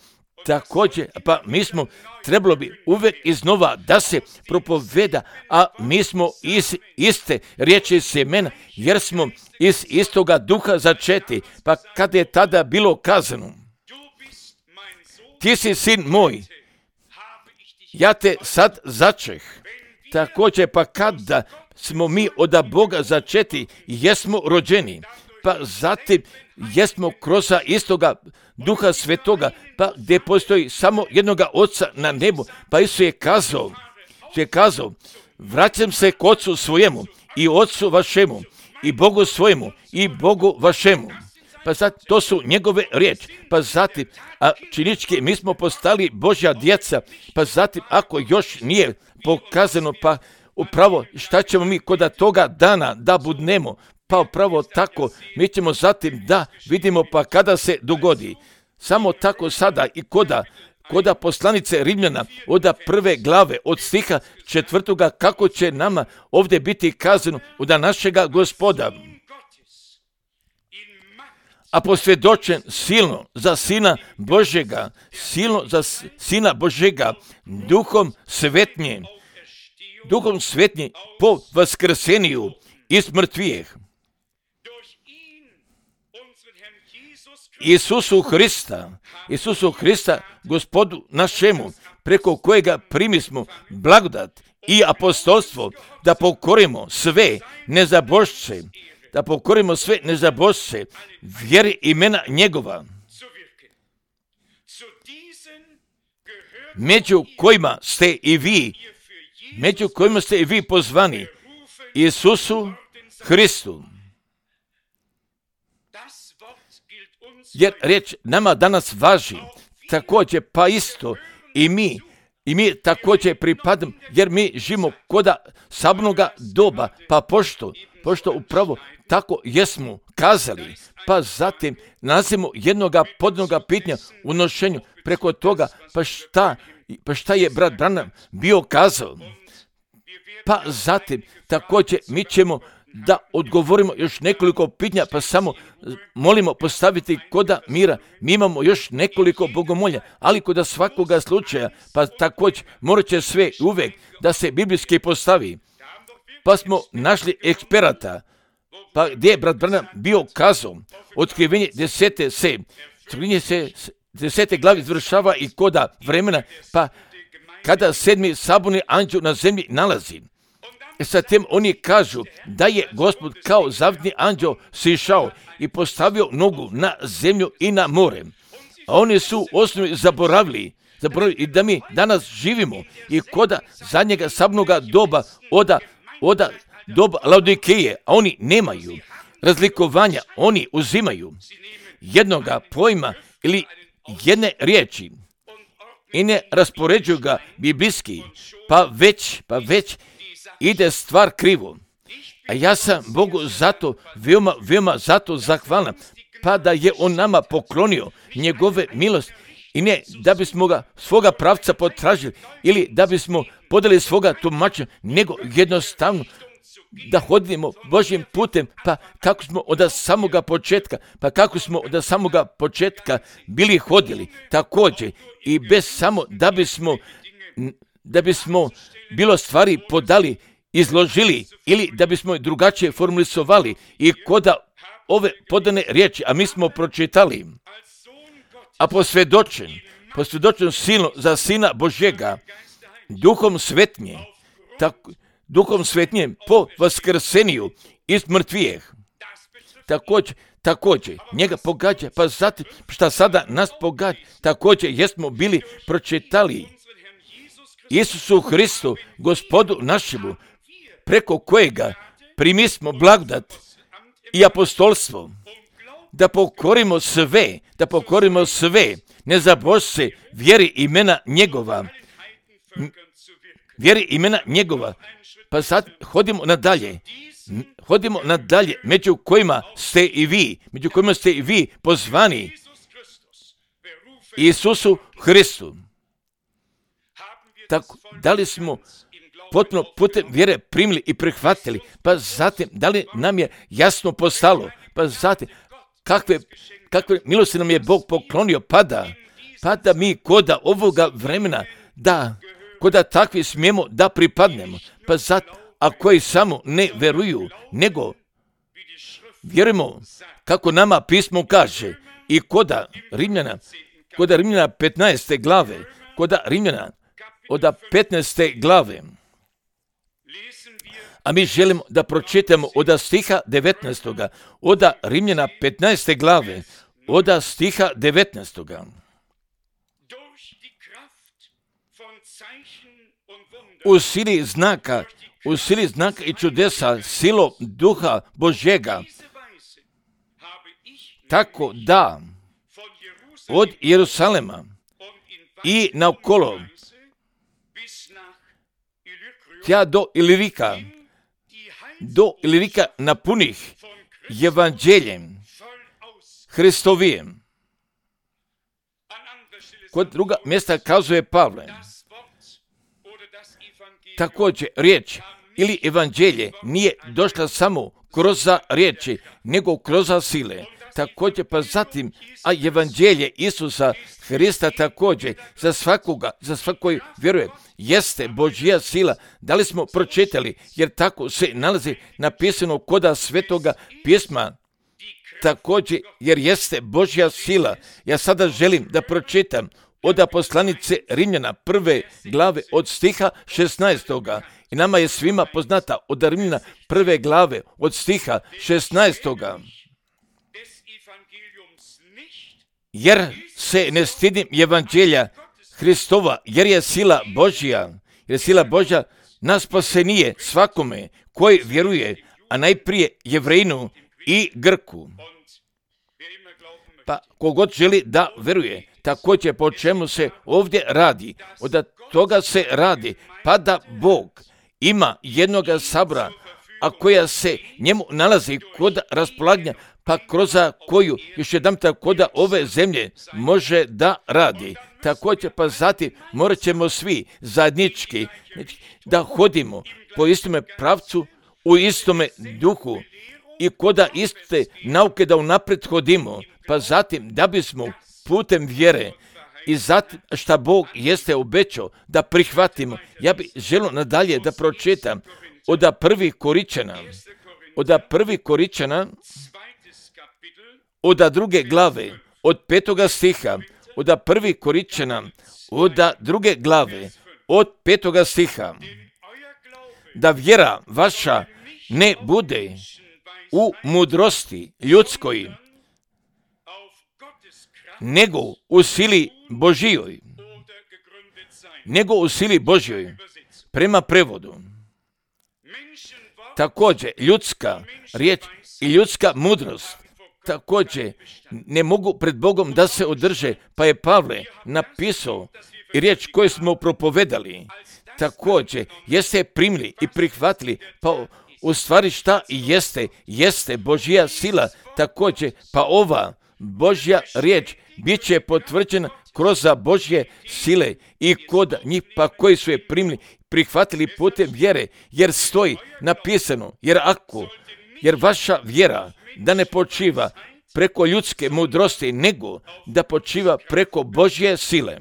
Također, pa mi smo, trebalo bi uvijek iznova da se propoveda, a mi smo iz iste riječi semena, jer smo iz istoga duha začeti. Pa kada je tada bilo kazano, ti si sin moj, ja te sad začeh. Također, pa kada smo mi od Boga začeti, jesmo rođeni, pa zatim jesmo kroz istoga Duha Svetoga, pa gdje postoji samo jednoga Oca na nebu, pa Isus je kazao, je kazao, vraćam se k Ocu svojemu i Ocu vašemu i Bogu svojemu i Bogu vašemu. Pa zatim, to su njegove riječi, pa zatim, a činički mi smo postali Božja djeca, pa zatim, ako još nije pokazano, pa upravo šta ćemo mi koda toga dana da budnemo, pa upravo tako, mi ćemo zatim da vidimo pa kada se dogodi. Samo tako sada i koda, koda poslanice Rimljana, od prve glave, od stiha četvrtoga, kako će nama ovdje biti kazano od našega Gospoda. A posvjedočen silno za Sina Božjega, silno za Sina Božjega, Duhom Svetnje, Duhom Svetnje po vaskrseniju iz mrtvijeh. Isusu Hrista, Isusu Hrista, Gospodu našemu, preko kojega primismo blagodat i apostolstvo, da pokorimo sve nezabošće, da pokorimo sve nezabožce, vjeri imena njegova, među kojima ste i vi, među kojima ste i vi pozvani, Isusu Hristu. Jer riječ nama danas važi, također pa isto i mi, i mi također pripadamo, jer mi živimo koda sabnoga doba, pa pošto, pošto upravo tako jesmo kazali, pa zatim nalazimo jednoga podnoga pitanja u nošenju preko toga, pa šta, pa šta je brat Branham bio kazao. Pa zatim također mi ćemo da odgovorimo još nekoliko pitanja, pa samo molimo postaviti koda mira. Mi imamo još nekoliko bogomolja, ali koda svakoga slučaja, pa također morat će sve uvijek da se biblijski postavi. Pa smo našli eksperata, pa gdje je brat Branham bio kazao, otkrivenje desete se, otkrivenje se desete glavi izvršava i koda vremena, pa kada sedmi saborni anđeo na zemlji nalazi. E sa tem oni kažu da je Gospod kao zavidni anđeo sišao i postavio nogu na zemlju i na more. A oni su osnovi zaboravili, zaboravili i da mi danas živimo i koda zadnjega sabnoga doba oda, oda doba Laodikeje, a oni nemaju razlikovanja, oni uzimaju jednoga pojma ili jedne riječi i ne raspoređuju ga biblijski, pa već, pa već ide stvar krivo. A ja sam Bogu zato, veoma, veoma zato zahvalan, pa da je on nama poklonio njegove milosti i ne da bismo ga svoga pravca potražili ili da bismo podali svoga tumača, nego jednostavno da hodimo Božjim putem, pa kako smo od samoga početka, pa kako smo od samoga početka bili hodili, također i bez samo da bismo, da bismo bilo stvari podali, izložili ili da bismo drugačije formulisovali i koda ove podane riječi, a mi smo pročitali, a posvjedočen, posvjedočen silno za Sina Božjega, duhom svetnje, tako, duhom svetnjem po vaskrseniju iz mrtvijeh. Također, također, njega pogađa, pa zatim šta sada nas pogađa, također jesmo bili pročitali Isusu Hristu, Gospodu našemu, preko kojega primismo blagodat i apostolstvo, da pokorimo sve, da pokorimo sve, ne zabožce vjeri imena njegova, vjeri imena njegova. Pa sad hodimo nadalje, hodimo nadalje, među kojima ste i vi, među kojima ste i vi pozvani, Isusu Hristu. Tako, da li smo potpuno putem vjere primili i prihvatili, pa zatim da li nam je jasno postalo, pa zatim kakve, kakve milosti nam je Bog poklonio, pa da, pa da mi koda ovoga vremena, da, koda takvi smijemo da pripadnemo, pa zatim, a koji samo ne veruju, nego vjerujemo kako nama pismo kaže i koda Rimljana, koda Rimljana petnaeste glave, koda Rimljana od petnaeste glave. A mi želimo da pročitamo od stiha devetnaestoga, od Rimljana petnaeste glave, od stiha devetnaestoga. U sili znaka, u sili znaka i čudesa, silo duha Božjega, tako da od Jerusalema i naokolo tja do Ilirika, do Ilirika napunih evanđeljem Hristovijem. Kod druga mjesta kazuje Pavle, također riječ ili evanđelje nije došla samo kroz riječi, nego kroz sile. Također pa zatim, a evanđelje Isusa Hrista također za svakoga, za svakoj vjeruje, jeste Božja sila. Da li smo pročitali, jer tako se nalazi napisano koda svetoga pisma, također jer jeste Božja sila. Ja sada želim da pročitam od poslanice Rimljana prve glave od stiha šesnaestoga. I nama je svima poznata od Rimljana prve glave od stiha šesnaestoga. Jer se ne stidim evanđelja Hristova, jer je sila Božja, jer je sila Božja na spasenije svakome koji vjeruje, a najprije Jevrejinu i Grku. Pa kogod želi da veruje, također po čemu se ovdje radi, od toga se radi, pa da Bog ima jednoga sabora, a koja se njemu nalazi kod raspolaganja, pa kroz koju još jedan kod ove zemlje može da radi. Također pa zatim morat ćemo svi zajednički da hodimo po istome pravcu, u istome duhu i koda iste nauke da unaprijed hodimo, pa zatim da bismo putem vjere i zatim šta Bog jeste obećao da prihvatimo. Ja bih želio nadalje da pročitam od prvih Koričana, od prvih Koričana, od druge glave, od petoga stiha, od prvih Koričana, od druge glave, od petoga stiha, da vjera vaša ne bude u mudrosti ljudskoj, nego u sili Božijoj, nego u sili Božjoj, prema prevodu. Također, ljudska riječ i ljudska mudrost također ne mogu pred Bogom da se održe, pa je Pavle napisao i riječ koju smo propovedali, također jeste primili i prihvatili, pa u stvari šta i jeste, jeste Božja sila, također pa ova Božja riječ bit će potvrđena kroz Božje sile i kod njih pa koji su je primili, prihvatili putem vjere, jer stoji napisano, jer ako, jer vaša vjera da ne počiva preko ljudske mudrosti, nego da počiva preko Božje sile.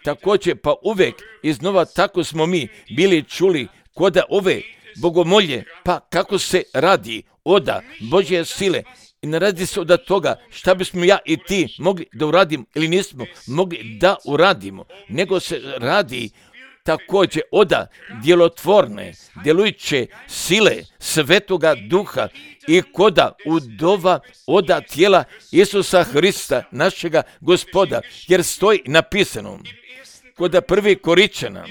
Također pa uvijek iznova tako smo mi bili čuli kod ove bogomolje, pa kako se radi oda Božje sile. I ne radi se od toga šta bismo ja i ti mogli da uradimo ili nismo mogli da uradimo, nego se radi također oda djelotvorne, djelujuće sile Svetoga Duha i koda udova oda tijela Isusa Hrista, našega Gospoda, jer stoji napisano kod prvi Koričana,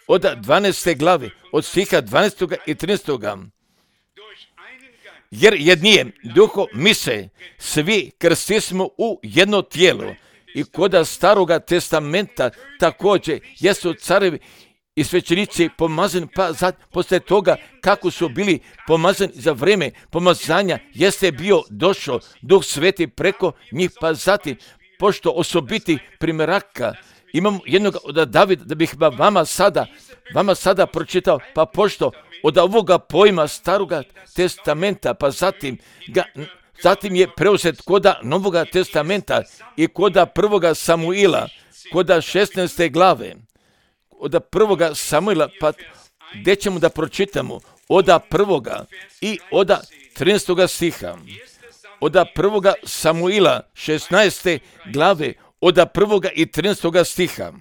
od dvanaeste glave, od stiha dvanaestog i trinaestog. Jer jednijem duhom mi se svi krstismo u jedno tijelo i koda staroga testamenta također jesu carevi i svećenici pomazani, pa zad, poslije toga kako su bili pomazani za vrijeme pomazanja, jeste bio došao Duh Sveti preko njih, pa zatim, pošto osobiti primjeraka, imamo jednog od Davida, da bih vama sada, vama sada pročitao, pa pošto od ovoga pojma staroga testamenta, pa zatim ga, zatim je preuzet koda Novoga testamenta i koda prvoga Samuila, koda šesnaeste glave, od prvoga Samuila, pa gdje ćemo da pročitamo, od prvoga i od trinaestoga stiha, od prvoga Samuila, šesnaeste glave, od prvoga i trinaestoga stiha.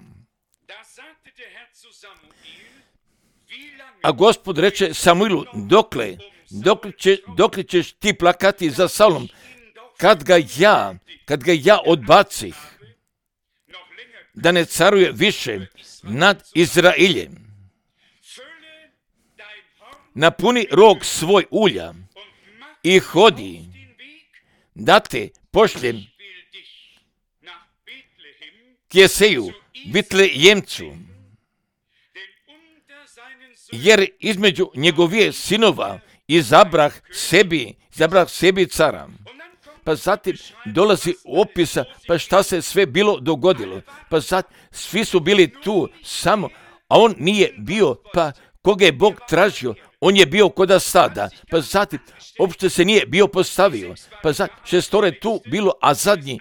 A Gospod reče Samuilu, dokle, dokle, će, dokle ćeš ti plakati za Saulom, kad ga ja, kad ga ja odbacih, da ne caruje više nad Izraeljem. Napuni rog svoj ulja i hodi, da te pošljem k Jeseju, Bitlejemcu, jer između njegovije sinova izabrah sebi, izabrah sebi cara. Pa zatim dolazi opisa, pa šta se sve bilo dogodilo. Pa zatim svi su bili tu samo, a on nije bio, pa koga je Bog tražio, on je bio koda sada. Pa zatim uopšte se nije bio postavio. Pa zatim šestore tu bilo, a zadnji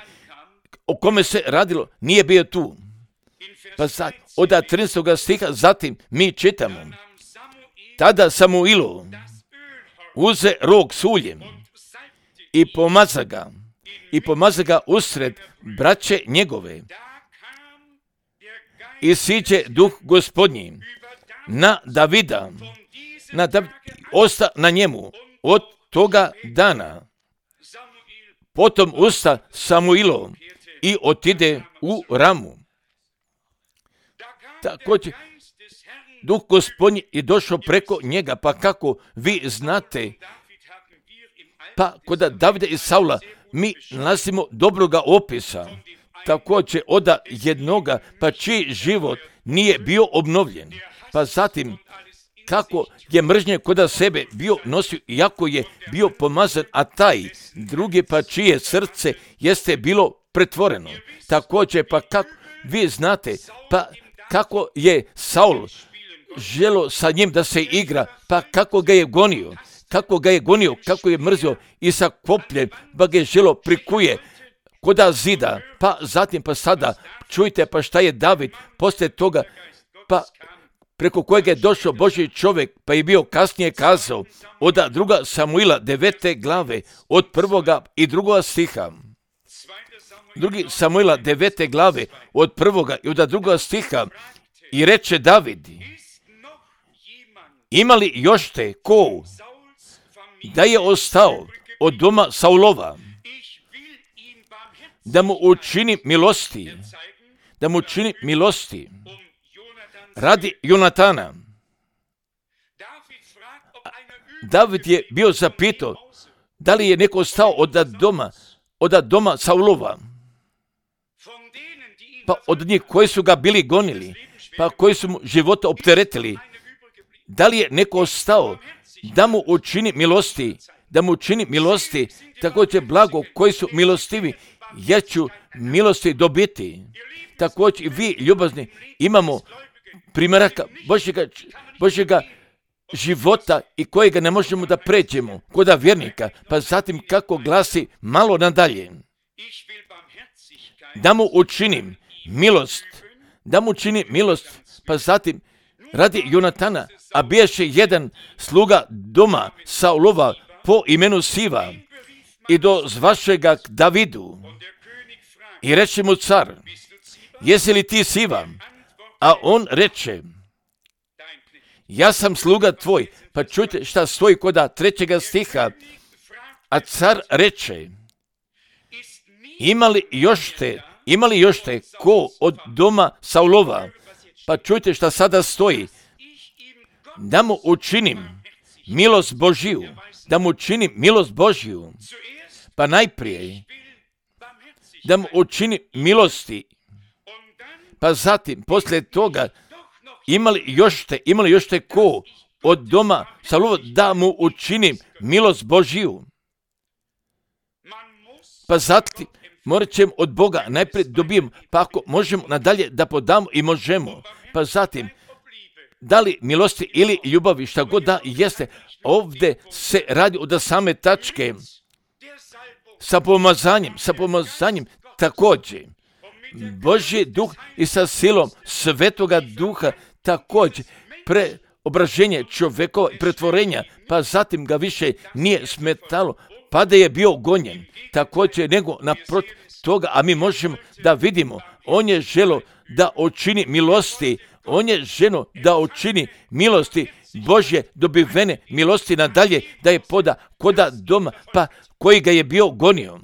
o kome se radilo nije bio tu. Pa zatim od trinaestog stiha zatim mi čitamo. Tada Samuilu uze rog s uljem i pomaza ga, i pomaza ga usred braće njegove. i siđe duh Gospodnji na Davida, na Dav... osta na njemu od toga dana. Potom usta Samuilo i otide u Ramu. Također, duh Gospodnji je došao preko njega, pa kako vi znate, pa kod Davida i Saula mi nalazimo dobroga opisa, također od jednoga, pa čiji život nije bio obnovljen, pa zatim kako je mržnje kod sebe bio nosio, iako je bio pomazan, a taj drugi, pa čije srce jeste bilo pretvoreno. Također, pa kako vi znate, pa kako je Saul želo sa njim da se igra, pa kako ga je gonio, kako ga je gonio, kako je mrzio i sa kopljem, pa ga je želo prikuje koda zida, pa zatim pa sada čujte pa šta je David poslije toga, pa preko kojega je došao Božji čovjek, pa je bio kasnije kazao od druga Samuila devete glave, od prvoga i drugoga stiha. Drugi Samuila devete glave, od prvoga i od drugoga stiha, i reče David, ima li još te ko da je ostao od doma Saulova, da mu učini milosti, da mu učini milosti radi Jonatana. David je bio zapitao da li je neko ostao od doma, od doma Saulova, pa od njih koji su ga bili gonili, pa koji su mu života opteretili, da li je neko ostao da mu učini milosti, da mu učini milosti, također blago koji su milostivi, ja ću milosti dobiti. Također vi ljubazni imamo primjeraka Božjega, Božjega života i kojega ne možemo da pređemo koda vjernika, pa zatim kako glasi malo nadalje. Da mu učinim milost, da mu učinim milost, pa zatim radi Jonatana, a biješe jedan sluga doma Saulova po imenu Siva i do zvašega k Davidu. I reče mu car, jesi li ti Siva? A on reče, ja sam sluga tvoj, pa čujte šta stoji koda trećega stiha. A car reče, ima li još te, ima li još te ko od doma Saulova? Pa čujte šta sada stoji, da mu učinim milost Božiju, da mu učinim milost Božiju, pa najprije da mu učinim milosti, pa zatim poslije toga imali još te, imali još te ko od doma Saulova da mu učinim milost Božiju. Pa zatim morat ćemo od Boga najprije dobijemo, pa ako možemo nadalje da podamo i možemo, pa zatim da li milosti ili ljubavi, šta god da jeste, ovdje se radi od same tačke sa pomazanjem, sa pomazanjem također. Božji duh i sa silom Svetoga duha također preobraženje čovjekova pretvorenja, pa zatim ga više nije smetalo, pa da je bio gonjen. Također nego naprotiv toga, a mi možemo da vidimo, on je želo da učini milosti, on je ženo da učini milosti Božje dobivene milosti nadalje, da je poda koda doma, pa koji ga je bio gonio.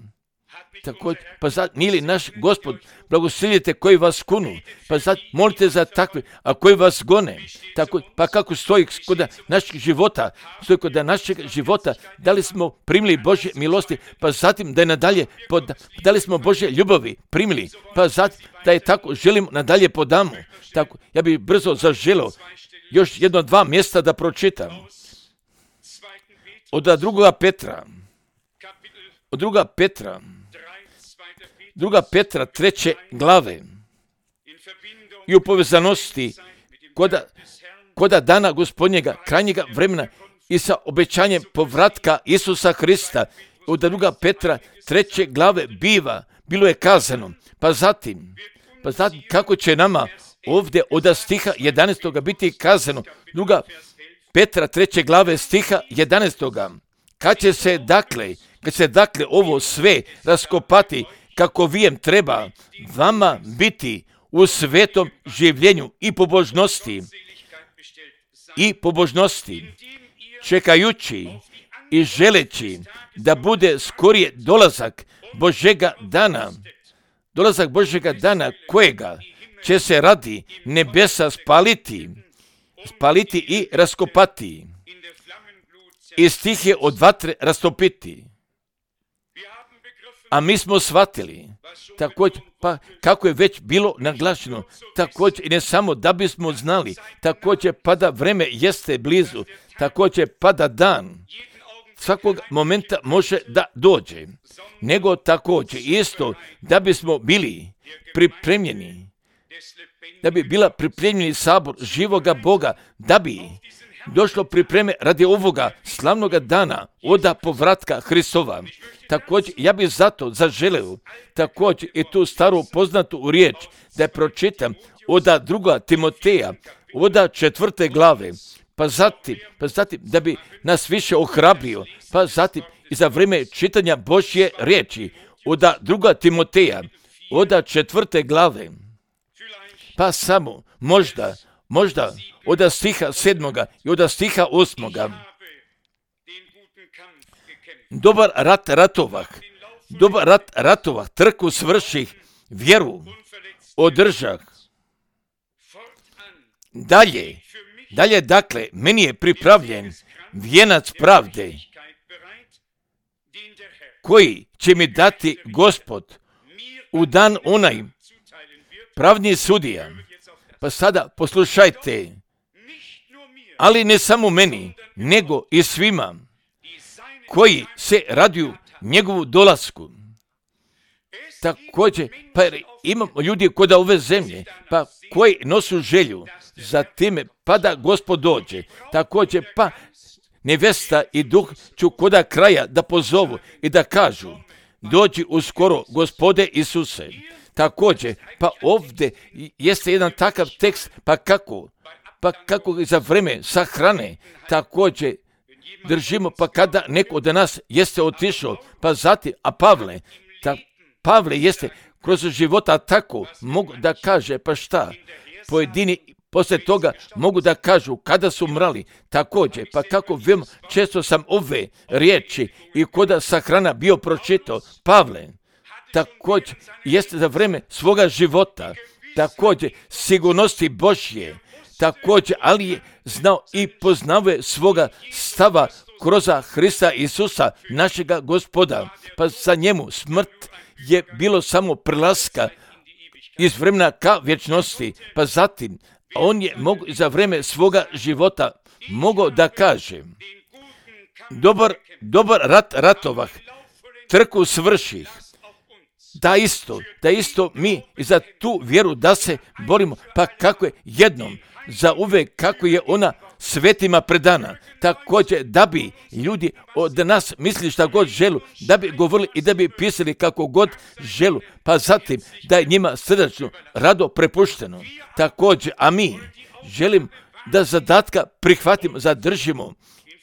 Također, pa sad, nije li naš Gospod, blagoslovite koji vas kunu, pa sad molite za takve, a koji vas gone. Tako, pa kako stoji kod našeg života, stoji kod našeg života, da li smo primili Božje milosti, pa zatim da je nadalje, pod, da li smo Božje ljubavi primili, pa zatim da je tako želimo nadalje podamo. Tako, ja bih brzo zaželio još jedno dva mjesta da pročitam. Od drugoga Petra, od druga Petra, druga Petra treće glave i u povezanosti koda, koda dana Gospodnjega krajnjega vremena i sa obećanjem povratka Isusa Hrista. Od druga Petra treće glave biva, bilo je kazano, pa zatim, pa zatim kako će nama ovdje od stiha jedanaestoga biti kazano, druga Petra treće glave stiha jedanaestoga. Kad će se dakle, kad se dakle ovo sve raskopati kako vijem treba vama biti u svetom življenju i pobožnosti, i pobožnosti, čekajući i želeći da bude skorije dolazak Božjega dana, dolazak Božjega dana kojega će se radi nebesa spaliti, spaliti i raskopati, i stihe od vatre rastopiti. A mi smo shvatili, također, pa kako je već bilo naglašeno, također i ne samo da bismo znali, također pa da vreme jeste blizu, također pa da dan svakog momenta može da dođe, nego također isto da bismo bili pripremljeni, da bi bila pripremljeni sabor živoga Boga, da bi došlo pripreme radi ovoga slavnoga dana oda povratka Hristova. Također, ja bih zato zaželeo također i tu staru poznatu riječ da je pročitam oda druga Timoteja, oda četvrte glave, pa zatim, pa zatim da bi nas više ohrabrio, pa zatim i za vrijeme čitanja Božje riječi, oda druga Timoteja, oda četvrte glave, pa samo možda, možda oda stiha sedmoga i oda stiha osmoga. Dobar rat ratovah, dobar rat ratovah, trku svrših, vjeru održah. Dalje, dalje dakle, meni je pripravljen vijenac pravde, koji će mi dati Gospod u dan onaj pravni sudija. Pa sada poslušajte, ali ne samo meni, nego i svima koji se raduju njegovu dolasku. Također, pa imamo ljudi kod ove zemlje, pa koji nosu želju za time, pa da Gospod dođe. Također, pa nevesta i duh ću koda kraja da pozovu i da kažu, dođi uskoro, Gospode Isuse. Također, pa ovdje jeste jedan takav tekst, pa kako, pa kako za vreme sahrane, također držimo, pa kada neko od nas jeste otišao, pa zatim, a Pavle, ta, Pavle jeste kroz života tako, mogu da kaže, pa šta, pojedini poslije toga mogu da kažu kada su mrali, također, pa kako veoma često sam ove riječi i koda sahrana bio pročitao, Pavle, također jeste za vreme svoga života, također sigurnosti Božje, također, ali je znao i poznave svoga stava kroz Hrista Isusa, našega Gospoda, pa za njemu smrt je bilo samo prelaska iz vremena ka vječnosti, pa zatim on je mogo za vreme svoga života mogao da kaže, dobar, dobar rat ratovah, trku svrših, da isto, da isto mi i za tu vjeru da se borimo, pa kako je jednom, za uvek kako je ona svetima predana, također da bi ljudi od nas mislili šta god želu, da bi govorili i da bi pisali kako god želu, pa zatim da je njima srdačno rado prepušteno. Također, a mi želim da zadatka prihvatimo, zadržimo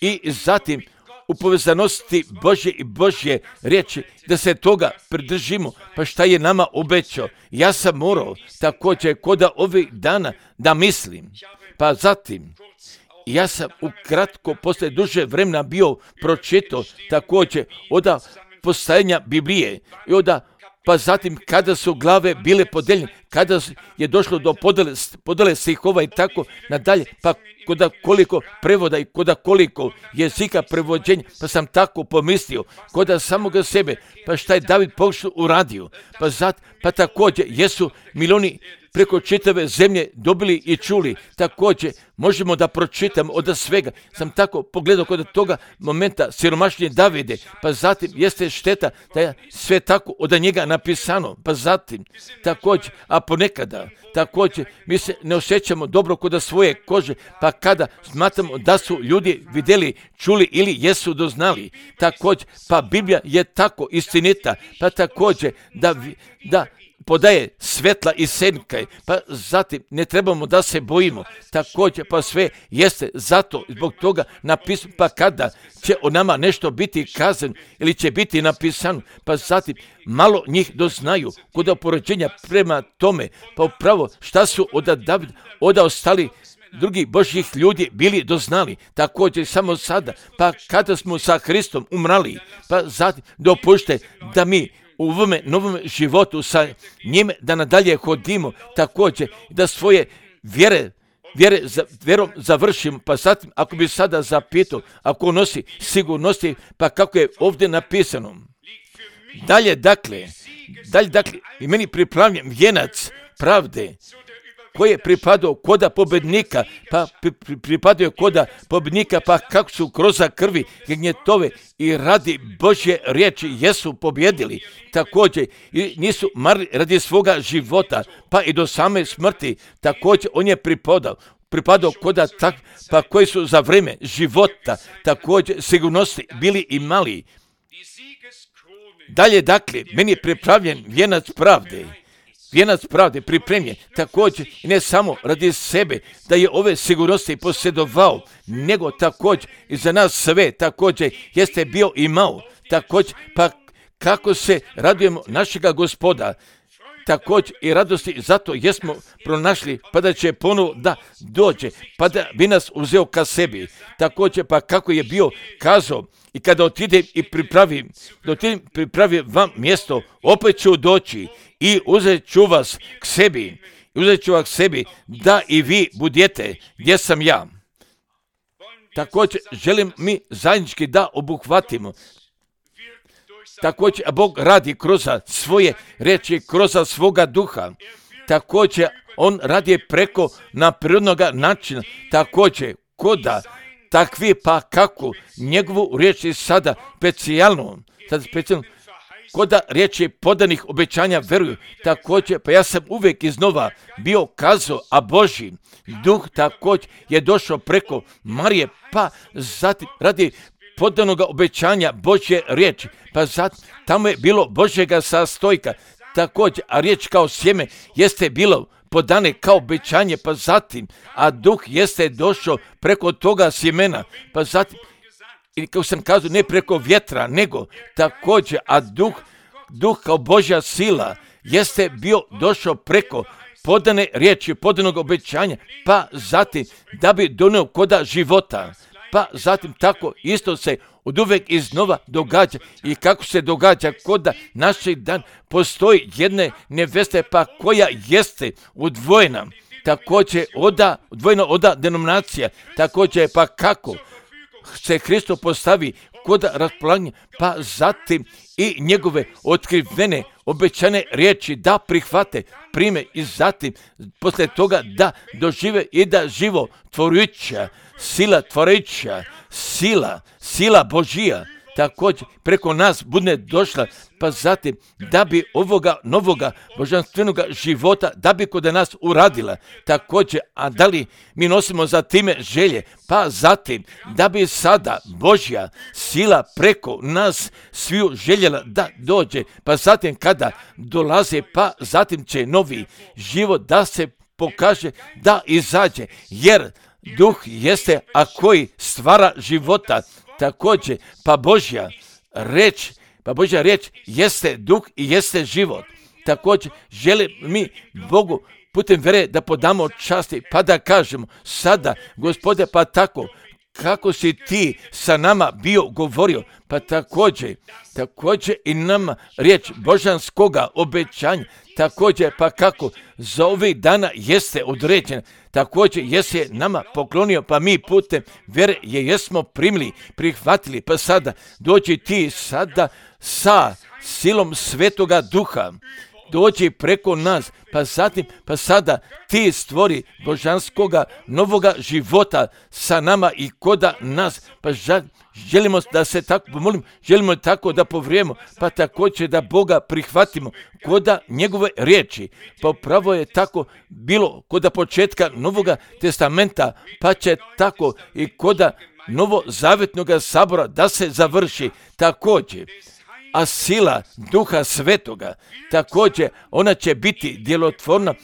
i zatim u povezanosti Božje i Božje riječi, da se toga pridržimo, pa šta je nama obećao. Ja sam morao također koda ovih dana da mislim, pa zatim ja sam ukratko posle duže vremena bio pročitao također oda postajanja Biblije i oda, pa zatim kada su glave bile podeljene, kada je došlo do podele, podele stihova i tako nadalje, pa koda koliko prevoda i koda koliko jezika prevođenja, pa sam tako pomislio, koda samoga sebe, pa šta je David pokušao uradio, pa zat, pa također jesu milioni preko čitave zemlje dobili i čuli, također možemo da pročitamo od svega. Sam tako pogledao kod toga momenta siromašnije Davide, pa zatim jeste šteta da je sve tako od njega napisano, pa zatim također, a ponekada također mi se ne osjećamo dobro kod svoje kože, pa kada smatramo da su ljudi vidjeli, čuli ili jesu doznali, također, pa Biblija je tako istinita, pa također da, da podaje svetla i senke, pa zatim ne trebamo da se bojimo, također pa sve jeste zato zbog toga napisano, pa kada će o nama nešto biti kazano ili će biti napisano, pa zatim malo njih doznaju kod opoređenja prema tome, pa upravo šta su od Davida, od ostali drugih Božjih ljudi bili doznali, također samo sada, pa kada smo sa Hristom umrali, pa zatim dopušte da mi u ovome novom životu sa njime da nadalje hodimo, također da svoje vjere, vjere za, vjerom završimo, pa zatim ako bi sada zapitao, ako nosi sigurnosti, pa kako je ovdje napisano. Dalje dakle, dalje dakle, i meni pripravljen vijenac pravde, koji je pripadao koda pobednika, pa pri, pri, pripadao je koda pobednika, pa kako su kroz krvi gnjetove i radi Božje riječi jesu pobjedili, također i nisu marli radi svoga života, pa i do same smrti, također on je pripadao, pripadao koda tak, pa koji su za vrijeme života također sigurnosti bili imali. Dalje dakle, meni je pripravljen vijenac pravde, vijenac pravde pripremljen, također i ne samo radi sebe da je ove sigurnosti posjedovao, nego također i za nas sve također jeste bio imao, također pa kako se radujemo našega Gospoda, također i radosti zato jesmo pronašli, pa da će ponovo da dođe, pa da bi nas uzeo ka sebi, također pa kako je bio kazao, i kada otidem i pripravim, da otidem pripravim vam mjesto, opet ću doći i uzet ću vas k sebi, uzet ću vas k sebi, da i vi budete gdje sam ja. Također želim mi zajednički da obuhvatimo. Također, a Bog radi kroz svoje reči, kroz svoga duha. Također, on radi preko naprirodnog načina. Također, koda takvi pa kako njegovu riječ je sada specijalno, sada specijalno, koda riječi podanih obećanja veruju. Također, pa ja sam uvijek iznova bio kazao, a Božji duh također je došao preko Marije, pa zatim radi podanog obećanja Božje riječi, pa zatim tamo je bilo Božjega sastojka, također, a riječ kao sjeme jeste bilo podane kao obećanje, pa zatim, a duh jeste došao preko toga sjemena, pa zatim, i kao sam kazao, ne preko vjetra, nego također, a duh, duh kao Božja sila jeste bio došao preko podane riječi, podanog obećanja, pa zatim da bi donio koda života, pa zatim tako isto se od uvek iznova događa i kako se događa koda naših dan postoji jedne neveste pa koja jeste udvojena, također oda, odvojena oda denominacija, također pa kako se Hristo postavi koda raspolaganja, pa zatim i njegove otkrivene obećane riječi da prihvate, prime i zatim poslije toga da dožive i da živo tvorujuća, sila tvorujuća, sila, sila Božija također preko nas bude došla, pa zatim da bi ovoga novoga božanstvenoga života, da bi kod nas uradila također, a da li mi nosimo za time želje, pa zatim da bi sada Božja sila preko nas sviju željela da dođe, pa zatim kada dolaze, pa zatim će novi život da se pokaže, da izađe, jer duh jeste, a koji stvara života, također, pa Božja reč, pa Božja reč jeste duh i jeste život. Također, želim mi Bogu putem vere da podamo časti, pa da kažemo sada, Gospode, pa tako, kako si ti sa nama bio govorio, pa također, također i nama riječ božanskoga obećanja, također pa kako za ovih dana jeste određena, također jesi nama poklonio, pa mi putem vere je jesmo primili, prihvatili, pa sada dođi ti sada sa silom Svetoga Duha, dođi preko nas, pa zatim, pa sada ti stvori božanskoga novoga života sa nama i koda nas, pa želimo da se tako pomolim, želimo tako da povrijemo, pa također da Boga prihvatimo koda njegove riječi, pa upravo je tako bilo koda početka Novoga testamenta, pa će tako i koda novozavjetnog sabora da se završi također. a sila Duha Svetoga, također ona će biti djelotvorna,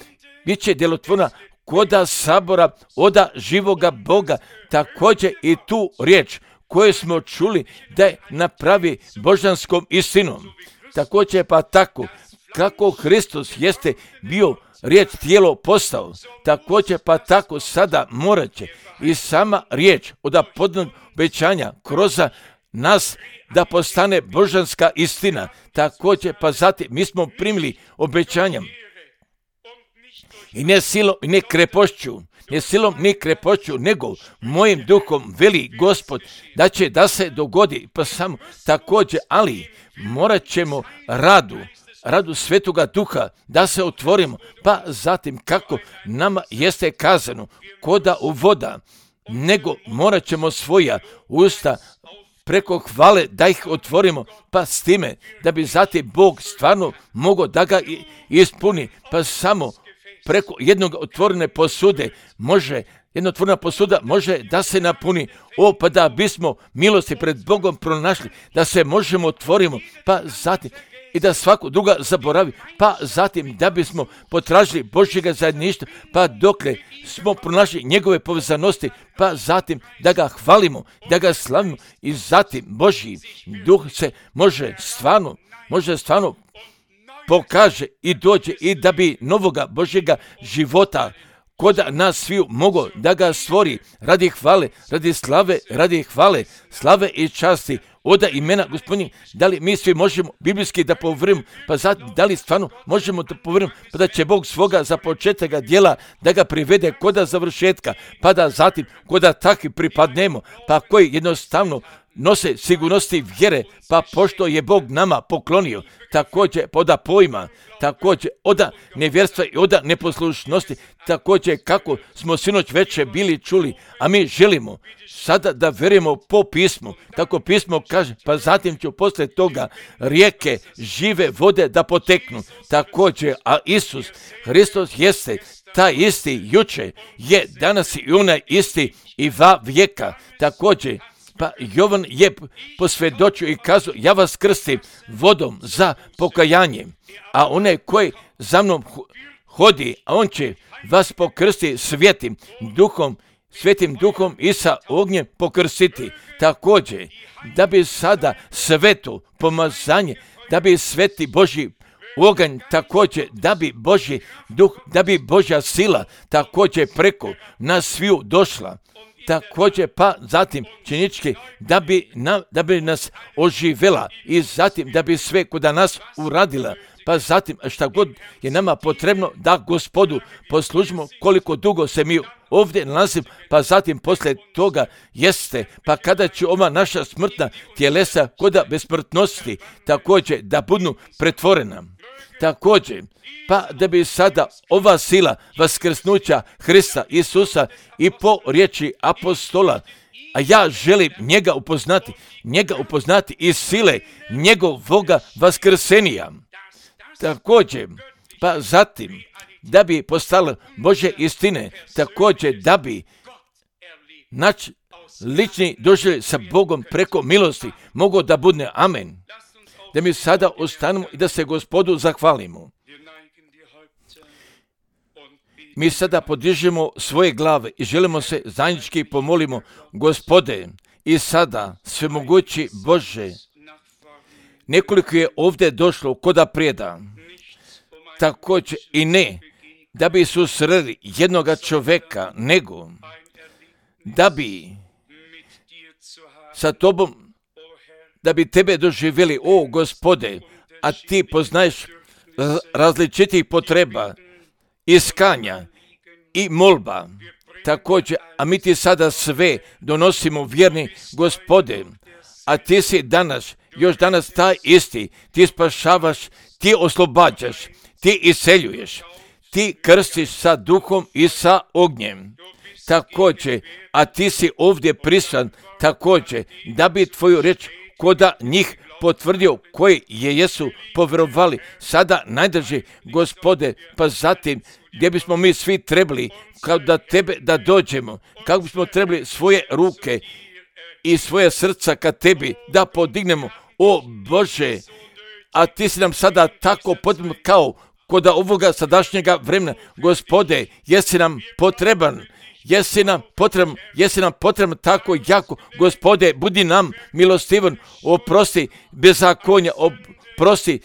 bit će djelotvorna koda sabora, oda živoga Boga, također i tu riječ koju smo čuli da je napravi božanskom istinom. Također pa tako, kako Hristos jeste bio riječ tijelo postao, također pa tako sada morat će i sama riječ od apodnog obećanja kroz nas da postane božanska istina. Također pa zatim mi smo primili obećanja i ne silom i ne krepošću, ne silom ni krepošću, nego mojim duhom veli Gospod da će da se dogodi, pa samo također, ali morat ćemo radu, radu Svetoga Duha da se otvorimo, pa zatim kako nama jeste kazano, koda u voda, nego morat ćemo svoja usta preko hvale da ih otvorimo, pa s time da bi zatim Bog stvarno mogao da ga ispuni, pa samo preko jednog otvorene posude može, jedna otvorena posuda može da se napuni, o pa da bismo milosti pred Bogom pronašli, da se možemo otvorimo, pa zatim i da svako druga zaboravi, pa zatim da bismo potražili Božjega zajedništva, pa dokle smo pronašli njegove povezanosti, pa zatim da ga hvalimo, da ga slavimo i zatim Božji duh se može stvarno, može stvarno pokaže i dođe i da bi novoga Božjega života kod nas sviju mogo da ga stvori radi hvale, radi slave, radi hvale, slave i časti oda imena Gospodnjeg. Da li mi svi možemo biblijski da povrimo, pa zatim da li stvarno možemo da povrimo, pa da će Bog svoga započetega djela da ga privede koda završetka, pa da zatim koda takvi pripadnemo, pa koji jednostavno nose sigurnosti vjere, pa pošto je Bog nama poklonio, također oda pojma, također oda nevjerstva i oda neposlušnosti, također kako smo sinoć večer bili čuli, a mi želimo sada da vjerujemo po pismu, kako pismo kaže, pa zatim ću poslije toga rijeke žive vode da poteknu, također, a Isus Hristos jeste taj isti juče, je danas i onaj isti i va vijeka, također. Pa Jovan je posvjedočio i kazao, ja vas krstim vodom za pokajanje, a onaj koji za mnom hodi, a on će vas pokrstiti svetim duhom, svetim duhom i sa ognjem pokrstiti. Također, da bi sada sveto pomazanje, da bi sveti Božji oganj, također, da bi Božji duh, da bi Božja sila također preko nas sviju došla. Također pa zatim činički da bi, na, da bi nas oživela i zatim da bi sve kod nas uradila, pa zatim šta god je nama potrebno da Gospodu poslužimo koliko dugo se mi ovdje nalazimo, pa zatim poslije toga jeste, pa kada će ova naša smrtna tjelesa koda besmrtnosti također da budu pretvorena. Također, pa da bi sada ova sila vaskrsnuća Hrista Isusa i po riječi apostola, a ja želim njega upoznati, njega upoznati iz sile njegovoga vaskrsenija. Također, pa zatim, da bi postala Božje istine, također da bi naš lični doživljaj sa Bogom preko milosti mogao da bude amen. Da mi sada ostanemo i da se Gospodu zahvalimo. Mi sada podižemo svoje glave i želimo se zajednički pomolimo, Gospode, i sada svemogući Bože, nekoliko je ovdje došlo koda prijeda, također i ne da bi susreli jednoga čovjeka, nego da bi sa tobom, da bi tebe doživjeli, o Gospode, a ti poznaješ različitih potreba, iskanja i molba. Također, a mi ti sada sve donosimo, vjerni Gospode, a ti si danas, još danas taj isti, ti spašavaš, ti oslobađaš, ti iseljuješ, ti krstiš sa duhom i sa ognjem. Također, a ti si ovdje prisutan, također, da bi tvoju reč koda njih potvrdio koji je jesu povjerovali sada najdrži, Gospode, pa zatim gdje bismo mi svi trebali kao da tebe da dođemo, kako bismo trebali svoje ruke i svoje srca ka tebi da podignemo, o Bože, a ti si nam sada tako potreban kao kod ovoga sadašnjega vremena. Gospode, jesi nam potreban, jesi nam potreban, jesi nam potreban tako jako. Gospode, budi nam milostivan, oprosti bezakonja, oprosti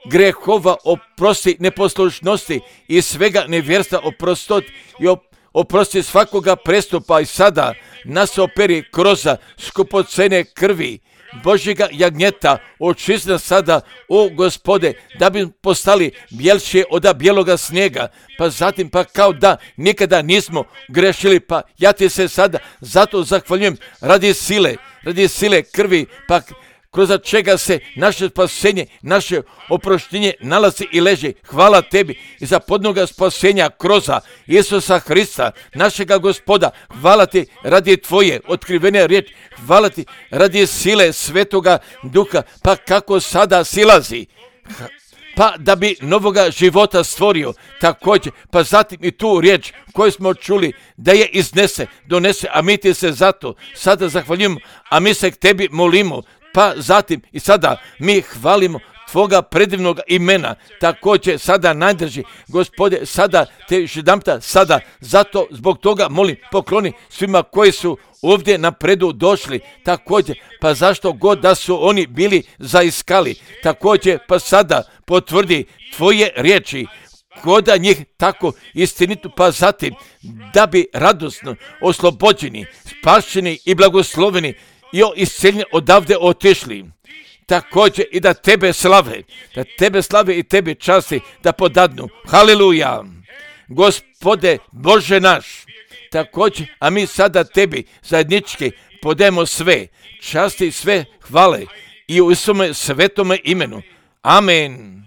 grehova, oprosti neposlušnosti i svega nevjerstva, oprostot i oprosti svakoga prestupa i sada nas operi kroz skupocene krvi Božjega jagnjeta, očisti nas sada, o Gospode, da bi postali bjelše od bijeloga snijega, pa zatim pa kao da nikada nismo grešili, pa ja ti se sada zato zahvaljujem radi sile, radi sile krvi, pa kroz čega se naše spasenje, naše oproštenje nalazi i leži. Hvala tebi i za podnoga spasenja kroz Isusa Hrista, našega Gospoda. Hvala ti radi tvoje otkrivene riječi. Hvala ti radi sile Svetoga Duha, pa kako sada silazi, pa da bi novoga života stvorio također, pa zatim i tu riječ koju smo čuli da je iznese, donese, a mi ti se zato sada zahvaljujemo, a mi se k tebi molimo. Pa zatim i sada mi hvalimo tvoga predivnog imena, također sada najdrži, Gospode, sada te još jedanputa, sada, zato zbog toga molim, pokloni svima koji su ovdje napredu došli, također, pa zašto god da su oni bili zaiskali, također, pa sada potvrdi tvoje riječi, koda njih tako istinitu, pa zatim da bi radosno oslobođeni, spašeni i blagosloveni i isceljeni odavde otišli. Također i da tebe slave, da tebe slave i tebe časti da podadnu. Haleluja. Gospode Bože naš, također, a mi sada tebi zajednički podajemo sve časti, sve hvale i u svome svetome imenu. Amen.